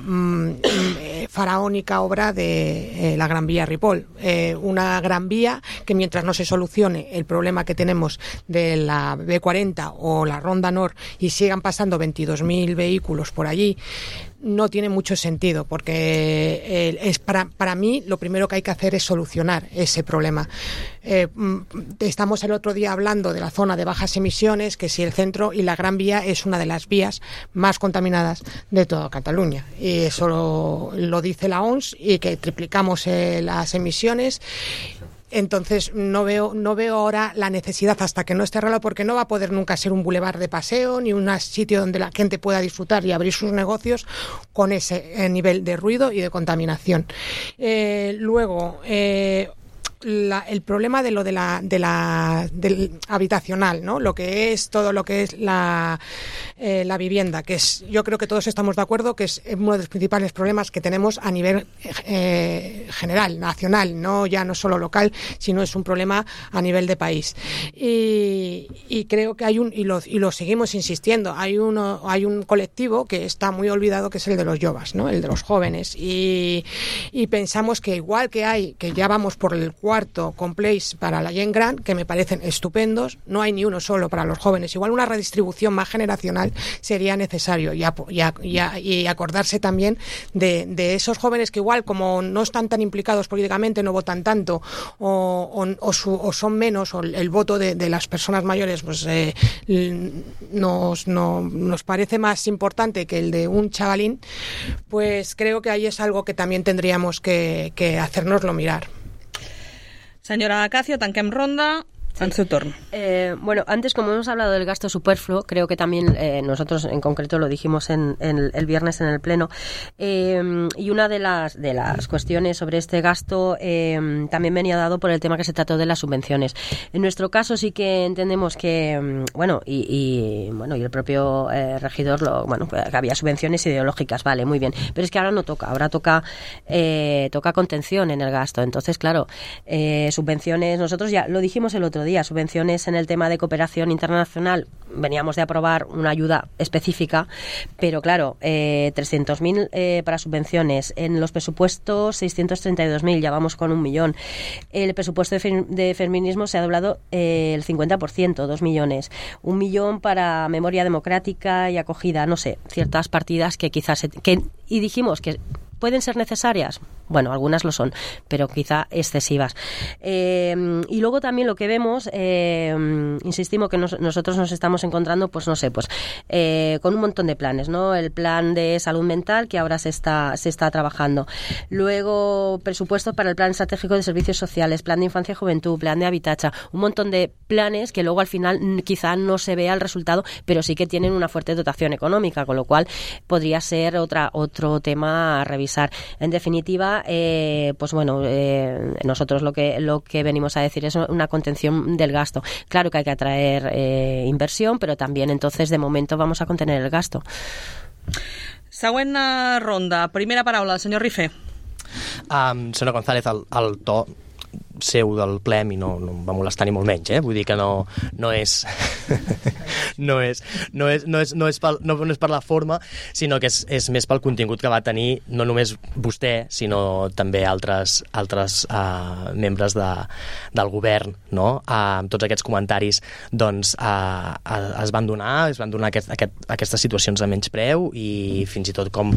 Speaker 8: faraónica obra de la Gran Vía Ripoll. Una gran vía que mientras no se solucione el problema que tenemos de la B40 o la Ronda Nord y sigan pasando 22.000 vehículos por allí, no tiene mucho sentido, porque es para mí lo primero que hay que hacer es solucionar ese problema. Estamos el otro día hablando de la zona de bajas emisiones, que si el centro y la Gran Vía es una de las vías más contaminadas de toda Cataluña, y eso lo dice la OMS, y que triplicamos las emisiones. Entonces no veo ahora la necesidad, hasta que no esté arreglado, porque no va a poder nunca ser un bulevar de paseo ni un sitio donde la gente pueda disfrutar y abrir sus negocios con ese nivel de ruido y de contaminación. Luego, el problema del habitacional, ¿no? Lo que es todo lo que es la vivienda, que es, yo creo que todos estamos de acuerdo que es uno de los principales problemas que tenemos a nivel general, nacional, no solo local, sino es un problema a nivel de país. Y creo que y lo seguimos insistiendo, hay un colectivo que está muy olvidado, que es el de los jovas, ¿no? El de los jóvenes, y pensamos que igual que ya vamos por el cuarto complex para la gent gran, que me parecen estupendos, no hay ni uno solo para los jóvenes, igual una redistribución más generacional sería necesario, y acordarse también de esos jóvenes que igual, como no están tan implicados políticamente, no votan tanto o son menos, o el voto de las personas mayores pues nos parece más importante que el de un chavalín, pues creo que ahí es algo que también tendríamos que hacérnoslo mirar.
Speaker 2: Señora Acacio, tanquem ronda. En su turno.
Speaker 7: Bueno, antes, como hemos hablado del gasto superfluo, creo que también nosotros en concreto lo dijimos el viernes en el pleno, y una de las cuestiones sobre este gasto también venía dado por el tema que se trató de las subvenciones. En nuestro caso sí que entendemos que, y el propio regidor, que había subvenciones ideológicas, vale, muy bien, pero es que ahora no toca, ahora toca contención en el gasto. Entonces, claro, subvenciones, nosotros ya lo dijimos el otro día, subvenciones en el tema de cooperación internacional, veníamos de aprobar una ayuda específica, pero claro, 300.000 para subvenciones, en los presupuestos 632.000, ya vamos con 1 millón. El presupuesto de feminismo se ha doblado el 50%, 2 millones. 1 millón para memoria democrática y acogida, no sé, ciertas partidas que quizás y dijimos que ¿pueden ser necesarias? Bueno, algunas lo son, pero quizá excesivas. Y luego también lo que vemos, insistimos que nosotros nos estamos encontrando, con un montón de planes, ¿no? El plan de salud mental, que ahora se está trabajando. Luego, presupuestos para el plan estratégico de servicios sociales, plan de infancia y juventud, plan de habitacha, un montón de planes que luego al final quizá no se vea el resultado, pero sí que tienen una fuerte dotación económica, con lo podría ser otro tema a revisar. En definitiva, nosotros lo que venimos a decir es una contención del gasto. Claro que hay que atraer inversión, pero también entonces de momento vamos a contener el gasto.
Speaker 2: Següent ronda. Primera paraula, senyor Rifé.
Speaker 4: Senyor González, el to seu del ple a mi no em va molestar ni molt menys, vull dir que no és per la forma, sinó que és més pel contingut que va tenir no només vostè, sinó també altres membres del govern, no? Amb tots aquests comentaris doncs es van donar aquestes situacions de menyspreu i fins i tot com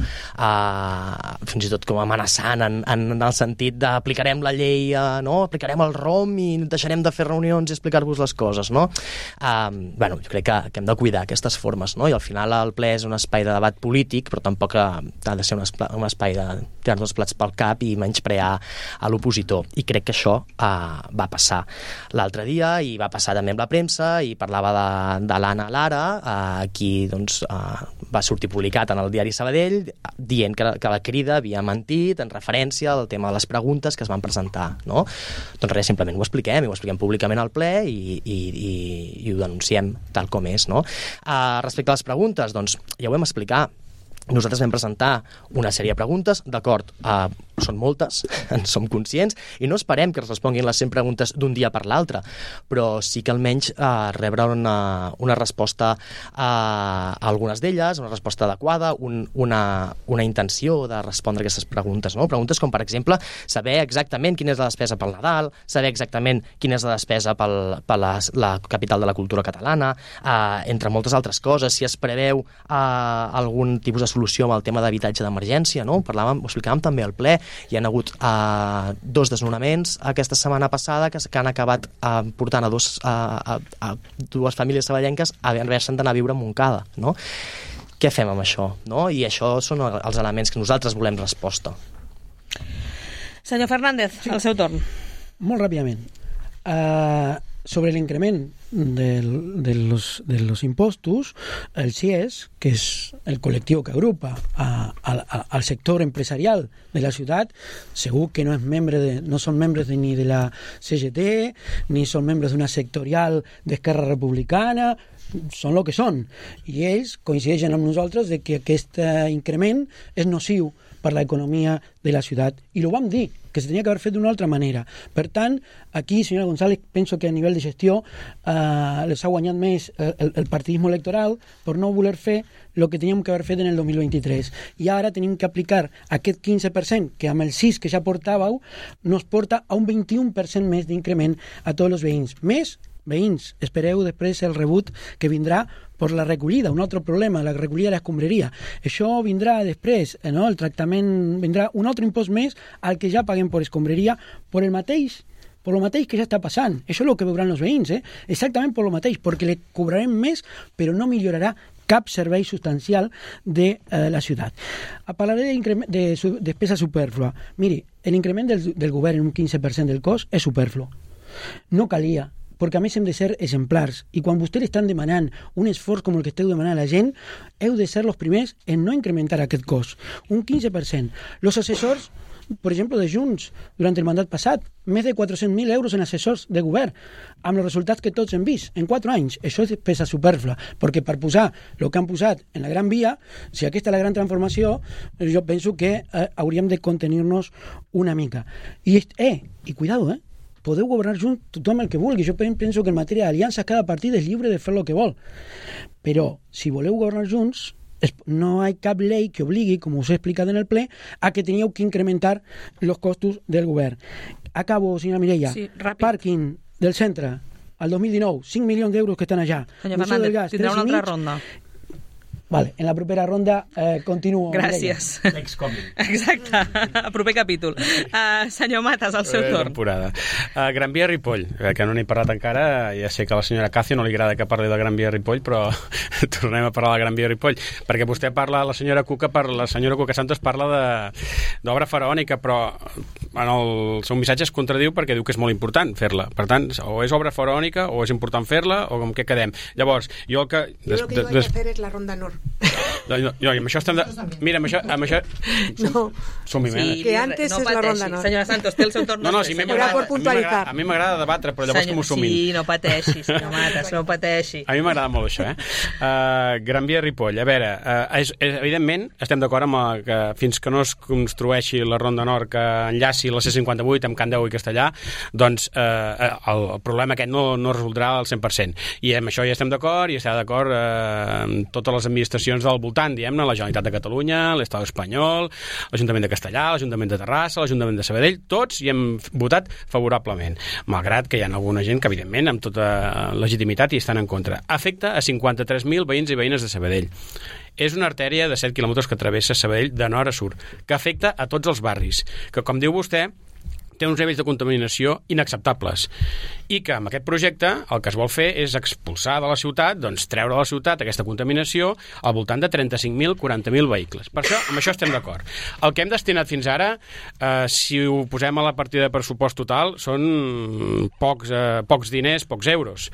Speaker 4: amenaçant en el sentit d'aplicarem la llei, no? Aplicarem el ROM i deixarem de fer reunions i explicar-vos les coses, no? Jo crec que hem de cuidar aquestes formes, no? I al final el ple és un espai de debat polític, però tampoc ha de ser un espai de tirar-nos els plats pel cap i menysprear a l'opositor. I crec que això va passar l'altre dia i va passar també amb la premsa, i parlava de l'Anna Lara, qui doncs, va sortir publicat en el diari Sabadell dient que la Crida havia mentit en referència al tema de les preguntes que es van presentar, no? Doncs res, simplement ho expliquem públicament al ple i ho denunciem tal com és, no? Respecte a les preguntes, doncs ja ho vam explicar. Nosaltres vam presentar una sèrie de preguntes, d'acord, són moltes, en som conscients, i no esperem que es responguin les 100 preguntes d'un dia per l'altre, però sí que almenys rebre una resposta a algunes d'elles, una resposta adequada, una intenció de respondre aquestes preguntes, no? Preguntes com, per exemple, saber exactament quina és la despesa pel Nadal, saber exactament quina és la despesa per la capital de la cultura catalana, entre moltes altres coses, si es preveu algun tipus de solució amb el tema d'habitatge d'emergència, no? Ho explicàvem també al ple. Hi ha hagut 2 desnonaments aquesta setmana passada que han acabat portant a dues famílies sabadellenques a haver-se'n d'anar a viure a Montcada, no? Què fem amb això, no? I això són els elements que nosaltres volem resposta.
Speaker 2: Senyor Fernández, al seu torn.
Speaker 5: Molt ràpidament. sobre el increment de los impostos, el CIES, que es el colectivo que agrupa al sector empresarial de la ciudad, segur que no son miembros ni de la CGT, ni son miembros de una sectorial d'Esquerra Republicana, són el que són. I ells coincideixen amb nosaltres de que aquest increment és nociu per l'economia de la ciutat. I ho vam dir, que se tenia que haver fet d'una altra manera. Per tant, aquí, senyora González, penso que a nivell de gestió les ha guanyat més el partidisme electoral per no voler fer el que teníem que haver fet en el 2023. I ara tenim que aplicar aquest 15%, que amb el 6% que ja portàveu, nos porta a un 21% més d'increment a tots els veïns. Més veïns, espereu després el rebut que vindrà per la recollida, un altre problema, la recollida de l'escombraria. Això vindrà després, no? El tractament vindrà un altre impost més al que ja paguem per escombraria per el mateix que ja està passant. Això és el que veuran els veïns, exactament per el mateix, perquè li cobrarem més, però no millorarà cap servei substancial de la ciutat. Parlaré de despesa superflua. Miri, l'increment del govern en un 15% del cost és superflu. No calia, perquè a més hem de ser exemplars, i quan vostès estan demanant un esforç com el que esteu demanant a la gent, heu de ser els primers en no incrementar aquest cost. Un 15%. Els assessors, per exemple, de Junts, durant el mandat passat, més de 400.000 euros en assessors de govern, amb els resultats que tots hem vist en 4 anys. Això és despesa superflua, perquè per posar el que han posat en la Gran Via, si aquesta és la gran transformació, jo penso que hauríem de contenir-nos una mica. I cuidado, podeu governar junts tothom el que vulgui. Jo penso que en matèria d'aliances cada partit és lliure de fer el que vol. Però si voleu governar junts, no hi ha cap llei que obligui, com us he explicat en el ple, a que teníeu que incrementar els costos del govern. Acabo, senyora Mireia.
Speaker 2: Sí, ràpid.
Speaker 5: Pàrquing del centre, al 2019, 5 milions d'euros que estan allà.
Speaker 2: Senyor Fernández, tindrà una altra ronda.
Speaker 5: Vale, en la propera ronda continuo.
Speaker 2: Gràcies.
Speaker 3: Next coming.
Speaker 2: Exacte, proper capítol. Senyor Matas, al seu torn.
Speaker 3: Temporada. Gran Via Ripoll, que no n'he parlat encara, ja sé que a la senyora Càcio no li agrada que parli de Gran Via Ripoll, però tornem a parlar de Gran Via Ripoll, perquè vostè parla, la senyora Cuca Santos parla d'obra faraònica, però en el seu missatge es contradiu perquè diu que és molt important fer-la. Per tant, o és obra faraònica o és important fer-la, o com què quedem. Llavors, jo el que...
Speaker 8: Jo el que iba a hacer es la ronda nord.
Speaker 3: No, amb això estem mira, amb això
Speaker 8: no.
Speaker 3: Sí,
Speaker 8: que antes
Speaker 2: no
Speaker 8: és la ronda nord.
Speaker 2: Senyora Santos, té el seu torn.
Speaker 3: No, sí, a mi m'agrada debatre, però llavors que m'ho sumin.
Speaker 2: Sí, no pateixi, senyor Matas, no pateixi.
Speaker 3: A mi m'agrada molt això, Gran Via Ripoll, a veure, evidentment estem d'acord amb que fins que no es construeixi la ronda nord que enllaci la C58 amb Can Deu i Castellà, doncs el problema aquest no es resoldrà al 100%. I amb això ja estem d'acord, i està d'acord amb totes les administracions del voltant, diguem-ne, la Generalitat de Catalunya, l'Estat espanyol, l'Ajuntament de Castellà, l'Ajuntament de Terrassa, l'Ajuntament de Sabadell, tots hi hem votat favorablement, malgrat que hi ha alguna gent que, evidentment, amb tota legitimitat hi estan en contra. Afecta a 53.000 veïns i veïnes de Sabadell. És una artèria de 7 quilòmetres que travessa Sabadell de nord a sud, que afecta a tots els barris, que, com diu vostè, té uns nivells de contaminació inacceptables, i que amb aquest projecte el que es vol fer és expulsar de la ciutat, doncs treure de la ciutat aquesta contaminació al voltant de 35.000, 40.000 vehicles. Per això, amb això estem d'acord. El que hem destinat fins ara, si ho posem a la partida de pressupost total, són pocs diners, pocs euros.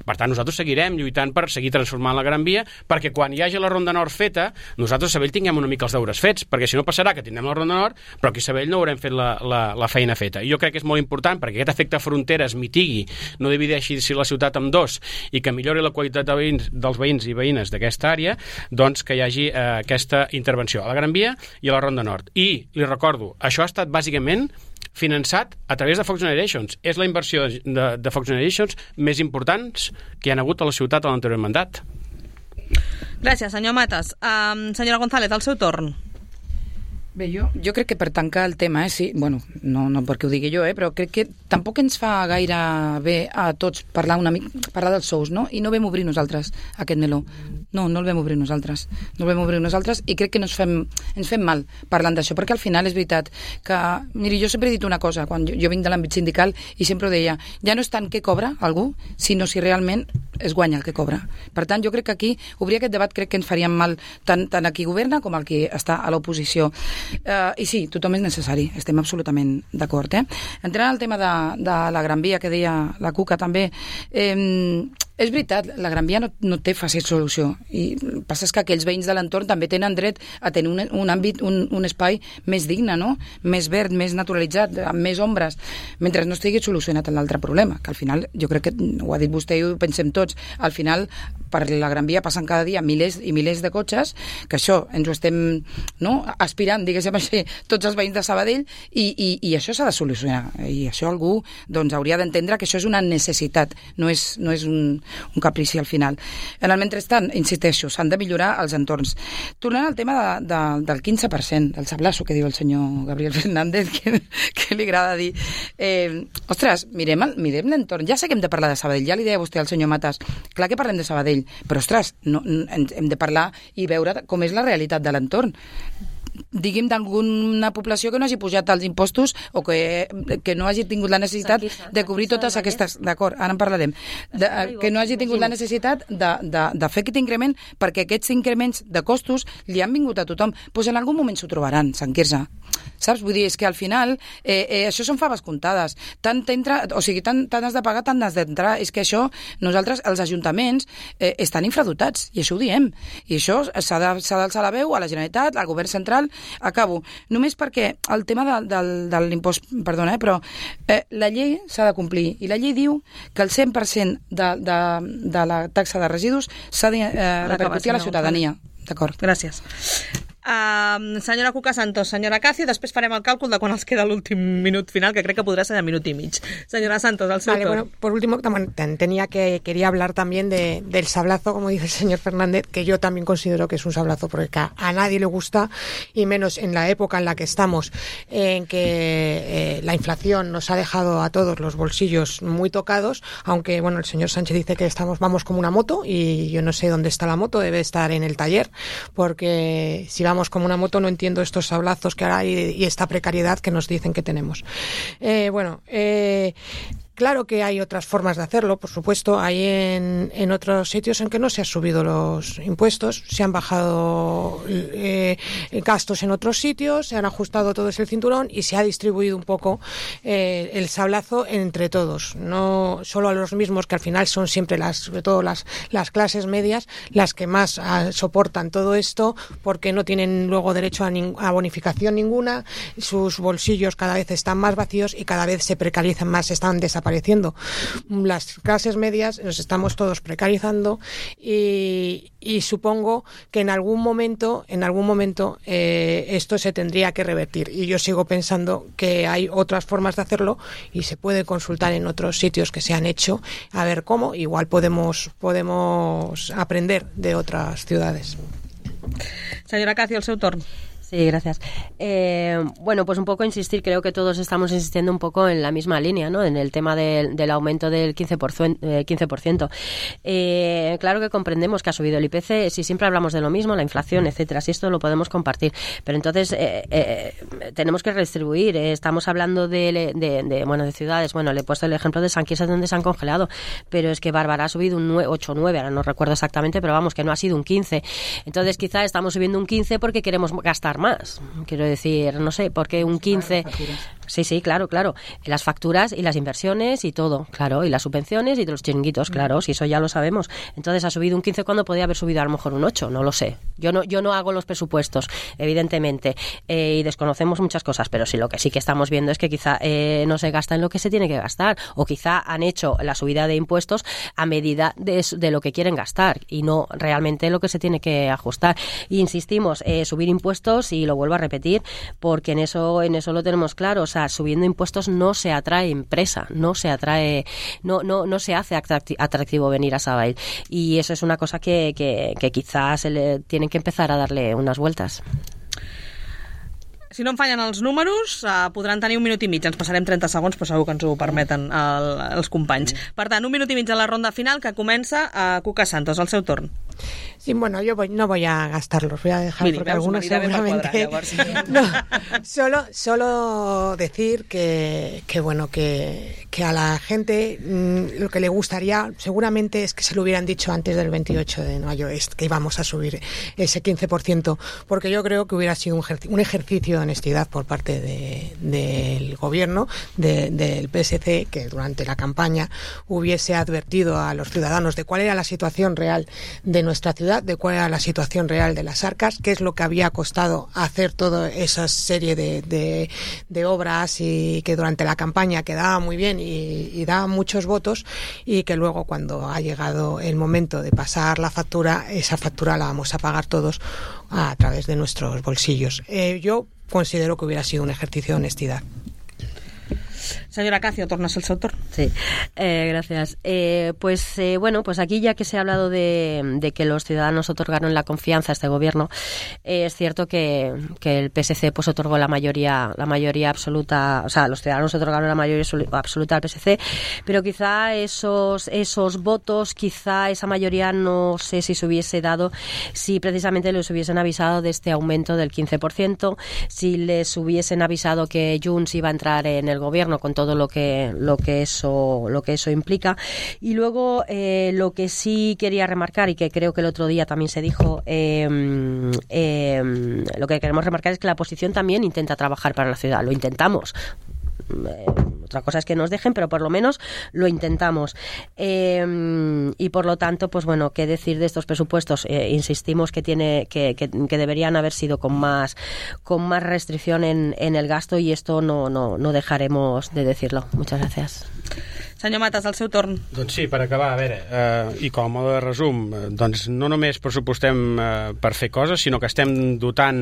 Speaker 3: Per tant, nosaltres seguirem lluitant per seguir transformant la Gran Via, perquè quan hi hagi la Ronda Nord feta, nosaltres a Sabadell tinguem una mica els deures fets, perquè si no passarà que tindrem la Ronda Nord, però aquí a Sabadell no haurem fet la feina feta. I jo crec que és molt important perquè aquest efecte frontera es mitigui, no divideixi la ciutat en dos i que millori la qualitat dels veïns i veïnes d'aquesta àrea, doncs que hi hagi aquesta intervenció a la Gran Via i a la Ronda Nord. I li recordo, això ha estat bàsicament finançat a través de Fox Generations. És la inversió de Fox Generations més importants que hi ha hagut a la ciutat a l'anterior mandat.
Speaker 2: Gràcies, senyor Matas. Senyora González, al seu torn.
Speaker 6: Bé, jo crec que per tancar el tema, sí, bueno, no perquè ho digui jo, però crec que tampoc ens fa gaire bé a tots parlar dels sous, no? I no vam obrir nosaltres aquest meló. No el vam obrir nosaltres. No el vam obrir nosaltres i crec que ens fem mal parlant d'això, perquè al final és veritat que... Miri, jo sempre he dit una cosa, quan jo vinc de l'àmbit sindical i sempre ho deia, ja no és tant què cobra algú, sinó si realment es guanya el que cobra. Per tant, jo crec que aquí, obrir aquest debat crec que ens faríem mal tant a qui governa com al qui està a l'oposició. I sí, tothom és necessari, estem absolutament d'acord. Entrant al tema de la Gran Via, que deia la Cuca també, és veritat, la Gran Via no té fàcil solució, i el que passa és que aquells veïns de l'entorn també tenen dret a tenir un àmbit, un espai més digne, no? Més verd, més naturalitzat, amb més ombres, mentre no estigui solucionat l'altre problema, que al final, jo crec que ho ha dit vostè i ho pensem tots, al final per la Gran Via passen cada dia milers i milers de cotxes, que això ens ho estem aspirant, diguéssim així, tots els veïns de Sabadell, i això s'ha de solucionar, i això algú doncs, hauria d'entendre que això és una necessitat, no és un caprici al final. En el mentrestant, insisteixo, s'han de millorar els entorns. Tornant al tema del 15%, del sablasso que diu el senyor Gabriel Fernández, que li agrada dir. Ostres, mirem l'entorn. Ja sé que hem de parlar de Sabadell, ja li deia vostè al senyor Matas, clar que parlem de Sabadell, però ostres, hem de parlar i veure com és la realitat de l'entorn. Digui'm d'alguna població que no hagi pujat els impostos o que no hagi tingut la necessitat de cobrir totes aquestes... D'acord, ara en parlarem. Que no hagi tingut la necessitat de fer aquest increment, perquè aquests increments de costos li han vingut a tothom. Doncs en algun moment s'ho trobaran, Sant Quirze. Saps? Vull dir, és que al final això són faves comptades. Tant has de pagar, tant has d'entrar. És que això, nosaltres, els ajuntaments, estan infradotats, i això ho diem. I això s'ha d'alçar la veu a la Generalitat, al govern central. Acabo. Només perquè el tema de l'impost, perdona, però la llei s'ha de complir, i la llei diu que el 100% de la taxa de residus s'ha de repercutir a la ciutadania. D'acord.
Speaker 2: Gràcies. Senyora Cuca Santos, senyora Cacio, després farem el càlcul de quan els queda l'últim minut final, que crec que podrá ser de minut y mig. Señora Santos, al seu torn.
Speaker 8: Bueno, por último, quería hablar también del sablazo, como dice el señor Fernández, que yo también considero que es un sablazo, porque a nadie le gusta, y menos en la época en la que estamos, en que la inflación nos ha dejado a todos los bolsillos muy tocados, aunque bueno, el señor Sánchez dice que vamos como una moto, y yo no sé dónde está la moto, debe estar en el taller, porque si vamos como una moto no entiendo estos sablazos que ahora hay y esta precariedad que nos dicen que tenemos. Claro que hay otras formas de hacerlo, por supuesto. Hay en otros sitios en que no se han subido los impuestos, se han bajado gastos en otros sitios, se han ajustado todo el cinturón y se ha distribuido un poco el sablazo entre todos. No solo a los mismos, que al final son siempre sobre todo las clases medias las que más soportan todo esto, porque no tienen luego derecho a bonificación ninguna, sus bolsillos cada vez están más vacíos y cada vez se precarizan más, están desapareciendo. Las clases medias nos estamos todos precarizando y supongo que en algún momento esto se tendría que revertir, y yo sigo pensando que hay otras formas de hacerlo y se puede consultar en otros sitios que se han hecho a ver cómo. Igual podemos aprender de otras ciudades.
Speaker 2: Señora Cacio, el seu torn.
Speaker 7: Sí, gracias. Bueno, pues un poco insistir, creo que todos estamos insistiendo un poco en la misma línea, ¿no? En el tema del aumento del 15%. Claro que comprendemos que ha subido el IPC, si siempre hablamos de lo mismo, la inflación, etcétera, si esto lo podemos compartir, pero entonces tenemos que redistribuir. Estamos hablando de ciudades, bueno, le he puesto el ejemplo de San Quirze, donde se han congelado, pero es que Bárbara ha subido un 8 o 9, ahora no recuerdo exactamente, pero vamos, que no ha sido un 15. Entonces quizá estamos subiendo un 15 porque queremos gastar más. Quiero decir, no sé, porque un 15... Sí, claro. Las facturas y las inversiones y todo, claro, y las subvenciones y de los chiringuitos, claro, si eso ya lo sabemos. Entonces ha subido un 15 cuando podía haber subido a lo mejor un 8, no lo sé. Yo no hago los presupuestos, evidentemente, y desconocemos muchas cosas, pero sí, lo que sí que estamos viendo es que quizá no se gasta en lo que se tiene que gastar, o quizá han hecho la subida de impuestos a medida de lo que quieren gastar y no realmente lo que se tiene que ajustar. Y insistimos, subir impuestos, y lo vuelvo a repetir, porque en eso lo tenemos claro, o sea, subiendo impuestos no se atrae empresa, no se hace atractivo venir a Sabadell, y eso es una cosa que quizás se le tienen que empezar a darle unas vueltas.
Speaker 2: Si no em fallen els números, podran tenir un minut i mig. Ens passarem 30 segons, però segur que ens ho permeten els companys. Per tant, un minut i mig a la ronda final, que comença a Cuca Santos, al seu torn.
Speaker 8: Sí, bueno, yo no voy a gastarlos, voy a dejar porque algunos seguramente... No, solo decir que a la gente lo que le gustaría seguramente es que se lo hubieran dicho antes del 28 de mayo, que íbamos a subir ese 15%, porque yo creo que hubiera sido un ejercicio de honestidad por parte del gobierno, del PSC, que durante la campaña hubiese advertido a los ciudadanos de cuál era la situación real de nuestra ciudad, de cuál era la situación real de las arcas, qué es lo que había costado hacer toda esa serie de obras y que durante la campaña quedaba muy bien y daba muchos votos, y que luego cuando ha llegado el momento de pasar la factura, esa factura la vamos a pagar todos a través de nuestros bolsillos. Yo considero que hubiera sido un ejercicio de honestidad.
Speaker 2: Señora Cacio, tornas el seu torn.
Speaker 7: Sí, gracias. Pues aquí ya que se ha hablado de que los ciudadanos otorgaron la confianza a este gobierno, es cierto que el PSC pues otorgó la mayoría absoluta, o sea, los ciudadanos otorgaron la mayoría absoluta al PSC, pero quizá esos votos, quizá esa mayoría no sé si se hubiese dado si precisamente les hubiesen avisado de este aumento del 15%, si les hubiesen avisado que Junts iba a entrar en el gobierno con todo lo que eso implica. Y luego lo que sí quería remarcar, y que creo que el otro día también se dijo, lo que queremos remarcar es que la oposición también intenta trabajar para la ciudad, lo intentamos. Otra cosa es que nos dejen, pero por lo menos lo intentamos. Y por lo tanto, pues bueno, qué decir de estos presupuestos. Insistimos que deberían haber sido con más restricción en el gasto, y esto no dejaremos de decirlo. Muchas gracias.
Speaker 2: Senyor Matas, el seu torn.
Speaker 3: Doncs sí, per acabar, a veure, i com a mode de resum, doncs no només pressupostem per fer coses, sinó que estem dotant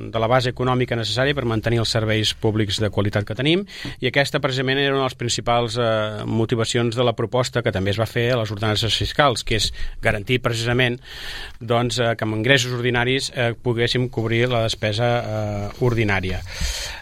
Speaker 3: de la base econòmica necessària per mantenir els serveis públics de qualitat que tenim, i aquesta precisament era una de les principals motivacions de la proposta que també es va fer a les ordenances fiscals, que és garantir precisament doncs, que amb ingressos ordinaris poguéssim cobrir la despesa ordinària.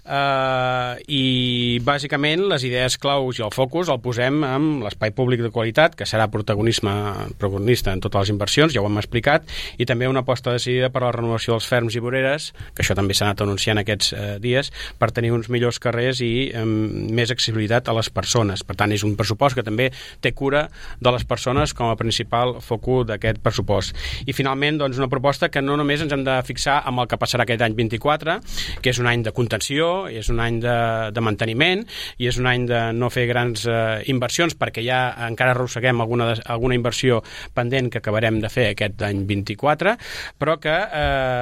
Speaker 3: I bàsicament les idees claus i el focus el posem amb l'espai públic de qualitat, que serà protagonista en totes les inversions, ja ho hem explicat, i també una aposta decidida per a la renovació dels ferms i voreres, que això també s'ha anat anunciant aquests dies, per tenir uns millors carrers i més accessibilitat a les persones. Per tant, és un pressupost que també té cura de les persones com a principal focus d'aquest pressupost. I finalment, doncs, una proposta que no només ens hem de fixar amb el que passarà aquest any 24, que és un any de contenció, és un any de manteniment, i és un any de no fer grans inversions, perquè ja encara arrosseguem alguna inversió pendent que acabarem de fer aquest any 24, però que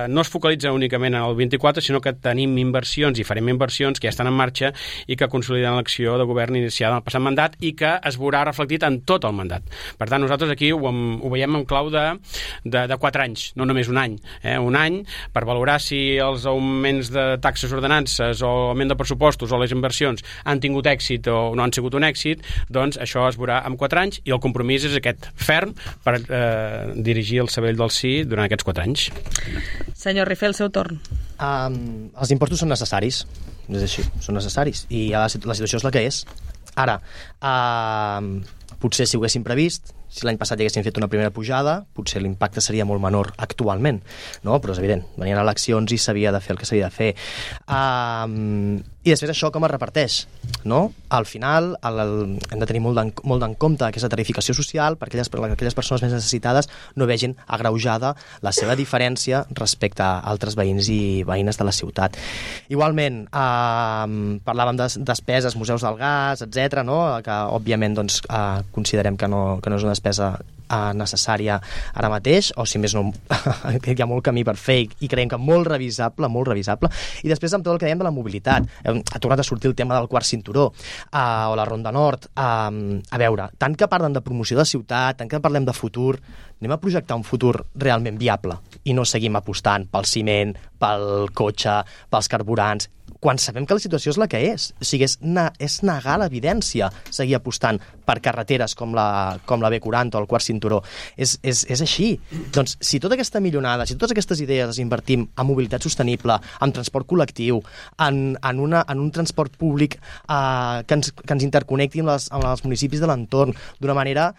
Speaker 3: no es focalitza únicament en el 24, sinó que tenim inversions i farem inversions que ja estan en marxa i que consoliden l'acció de govern iniciada en el passat mandat i que es veurà reflectit en tot el mandat. Per tant, nosaltres aquí ho veiem en clau de 4 anys, no només un any. Un any per valorar si els augments de taxes ordenances o l'augment de pressupostos o les inversions han tingut èxit o no han sigut un èxit, doncs això es veurà en 4 anys, i el compromís és aquest ferm per dirigir el cervell del sí durant aquests 4 anys.
Speaker 2: Senyor Rifé, el seu torn.
Speaker 4: Els impostos són necessaris, és així, són necessaris, i la situació és la que és. Ara, potser si ho haguéssim previst, si l'any passat haguéssim fet una primera pujada, potser l'impacte seria molt menor actualment, no? Però és evident, venien eleccions i s'havia de fer el que s'havia de fer. I després això com es reparteix, no? Al final hem de tenir molt en compte aquesta tarificació social perquè aquelles persones més necessitades no vegin agreujada la seva diferència respecte a altres veïns i veïnes de la ciutat. Igualment, parlàvem de despeses, museus del gas, etc., no? Que òbviament doncs, considerem que no és una despesa necessària ara mateix, o si més no hi ha molt camí per fer i creiem que molt revisable, i després amb tot el que dèiem de la mobilitat, ha tornat a sortir el tema del quart cinturó o la Ronda Nord. A veure, tant que parlen de promoció de ciutat, tant que parlem de futur, anem a projectar un futur realment viable i no seguim apostant pel ciment, pel cotxe, pels carburants, quan sabem que la situació és la que és. O sigui, és negar l'evidència seguir apostant per carreteres com la B40 o el quart cinturó. És així. Doncs, si tota aquesta millonada, si totes aquestes idees les invertim en mobilitat sostenible, en transport col·lectiu, en un transport públic que ens interconnecti amb els municipis de l'entorn d'una manera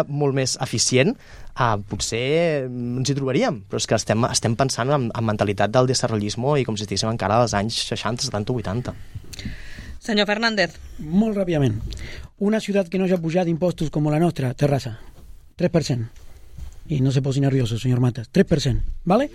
Speaker 4: molt més eficient, potser ens hi trobaríem, però és que estem pensant en mentalitat del desarrollismo i com si estiguéssim encara als anys 60, 70, 80.
Speaker 2: Senyor Fernández.
Speaker 5: Molt ràpidament. Una ciutat que no hagi pujat impostos com la nostra, Terrassa, 3%. I no se posi nervioso, senyor Matas, 3%, ¿vale?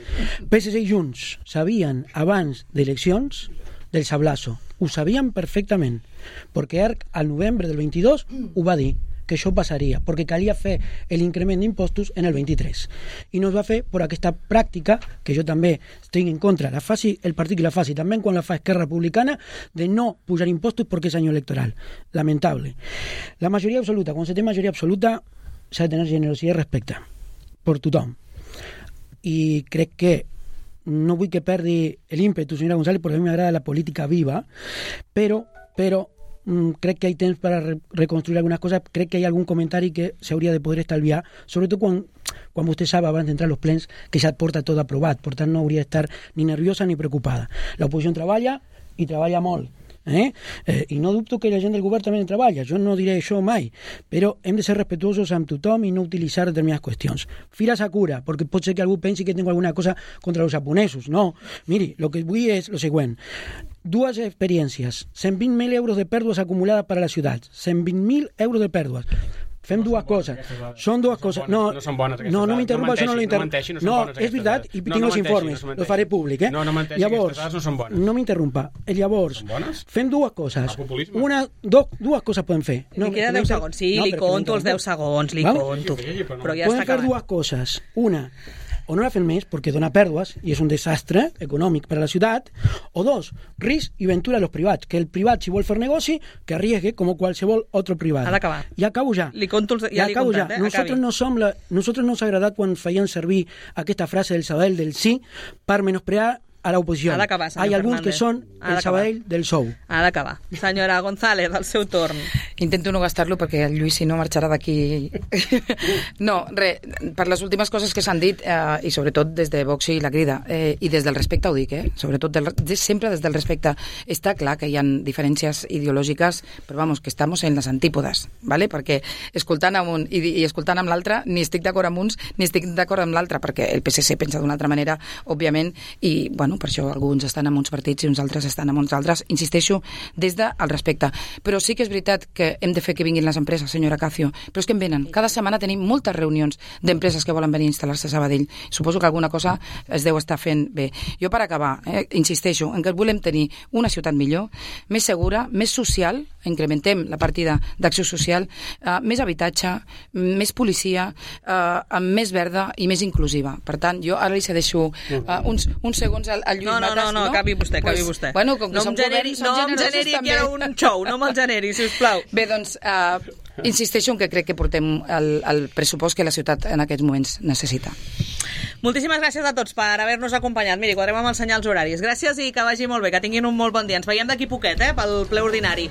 Speaker 5: PSC i Junts sabien abans d'eleccions del sablazo, ho sabien perfectament, perquè ERC al novembre del 22 ho va dir, que això passaria, perquè calia fer l'increment d'impostos en el 23. I no es va fer per aquesta pràctica, que jo també estic en contra, la faci el partit que la faci, també quan la fa Esquerra Republicana, de no pujar impostos perquè és any electoral. Lamentable. La majoria absoluta, quan se té majoria absoluta, s'ha de tenir generositat i respecte per tothom. I crec que no vull que perdi l'ímpetu, senyora González, perquè a mi m'agrada la política viva, però crec que hi ha temps per a reconstruir algunes coses. Crec que hi ha algun comentari que s'hauria de poder estalviar, sobretot quan vostè sap abans d'entrar als plens que ja porta tot aprovat, per tant no hauria d'estar ni nerviosa ni preocupada. L'oposició treballa i treballa molt. I no dubto que la gent del govern també treballa, jo no diré això mai, però hem de ser respetuosos amb tothom i no utilitzar determinades qüestions. Fira Sakura, perquè pot ser que algú pensi que tengo alguna cosa contra los japonesos. No, miri, lo que vull és lo següent. Dues experiències, 120.000 euros de pèrdues acumulades per a la ciutat, 120.000 euros de pèrdues. Fem dues coses. Són dues coses. No
Speaker 3: són bones aquestes
Speaker 5: no
Speaker 3: dades.
Speaker 5: m'interrompa, això no lo interrompa. No, és veritat, i tinc els informes, els faré públic.
Speaker 3: No menteixi, aquestes dades no són bones.
Speaker 5: No m'interrompa. Llavors, fem dues coses. Dues coses podem fer.
Speaker 2: Li queda 10 segons. Sí, li conto els 10 segons, li conto. Però ja està acabant.
Speaker 5: Podem fer dues coses. Una, o no la fem més perquè dona pèrdues i és un desastre econòmic per a la ciutat, o dos, risc i ventura a los privats, que el privat, si vol fer negoci, que arriesgue com qualsevol altre privat.
Speaker 2: Ha d'acabar.
Speaker 5: I acabo ja.
Speaker 2: Li conto ja li he contat,
Speaker 5: Nosaltres no s'ha agradat quan feien servir aquesta frase del Sabadell del sí per menysprear a l'oposició.
Speaker 2: Ha d'acabar, senyor
Speaker 5: Hi ha alguns
Speaker 2: Fernández.
Speaker 5: que són el Sabadell del sou.
Speaker 2: Ha d'acabar. Senyora González, al seu torn.
Speaker 6: Intento no gastar-lo perquè el Lluís, si no, marxarà d'aquí. No, res, per les últimes coses que s'han dit, i sobretot des de Vox i la Crida, i des del respecte ho dic, sobretot sempre des del respecte. Està clar que hi ha diferències ideològiques, però vamos, que estamos en les antípodes, ¿vale? Perquè escoltant amb un i escoltant amb l'altre, ni estic d'acord amb uns ni estic d'acord amb l'altre, perquè el PSC pensa d'una altra manera, òbviament, i bueno, per això alguns estan en uns partits i uns altres estan en uns altres. Insisteixo, des del respecte. Però sí que és veritat que hem de fer que vinguin les empreses, senyora Cacio, però és que en venen. Cada setmana tenim moltes reunions d'empreses que volen venir a instal·lar-se a Sabadell. Suposo que alguna cosa es deu estar fent bé. Jo, per acabar, insisteixo en que volem tenir una ciutat millor, més segura, més social, incrementem la partida d'acció social, més habitatge, més policia, més verda i més inclusiva. Per tant, jo ara li cedeixo uns segons al Lluís Matas.
Speaker 2: No, acabi vostè.
Speaker 6: Bueno, com que
Speaker 2: no em generi aquí ara un xou, no me'l generi, sisplau.
Speaker 6: Bé, doncs, insisteixo en que crec que portem el pressupost que la ciutat en aquests moments necessita.
Speaker 2: Moltíssimes gràcies a tots per haver-nos acompanyat. Miri, quadrem amb els senyals horaris. Gràcies i que vagi molt bé, que tinguin un molt bon dia. Ens veiem d'aquí poquet, pel ple ordinari.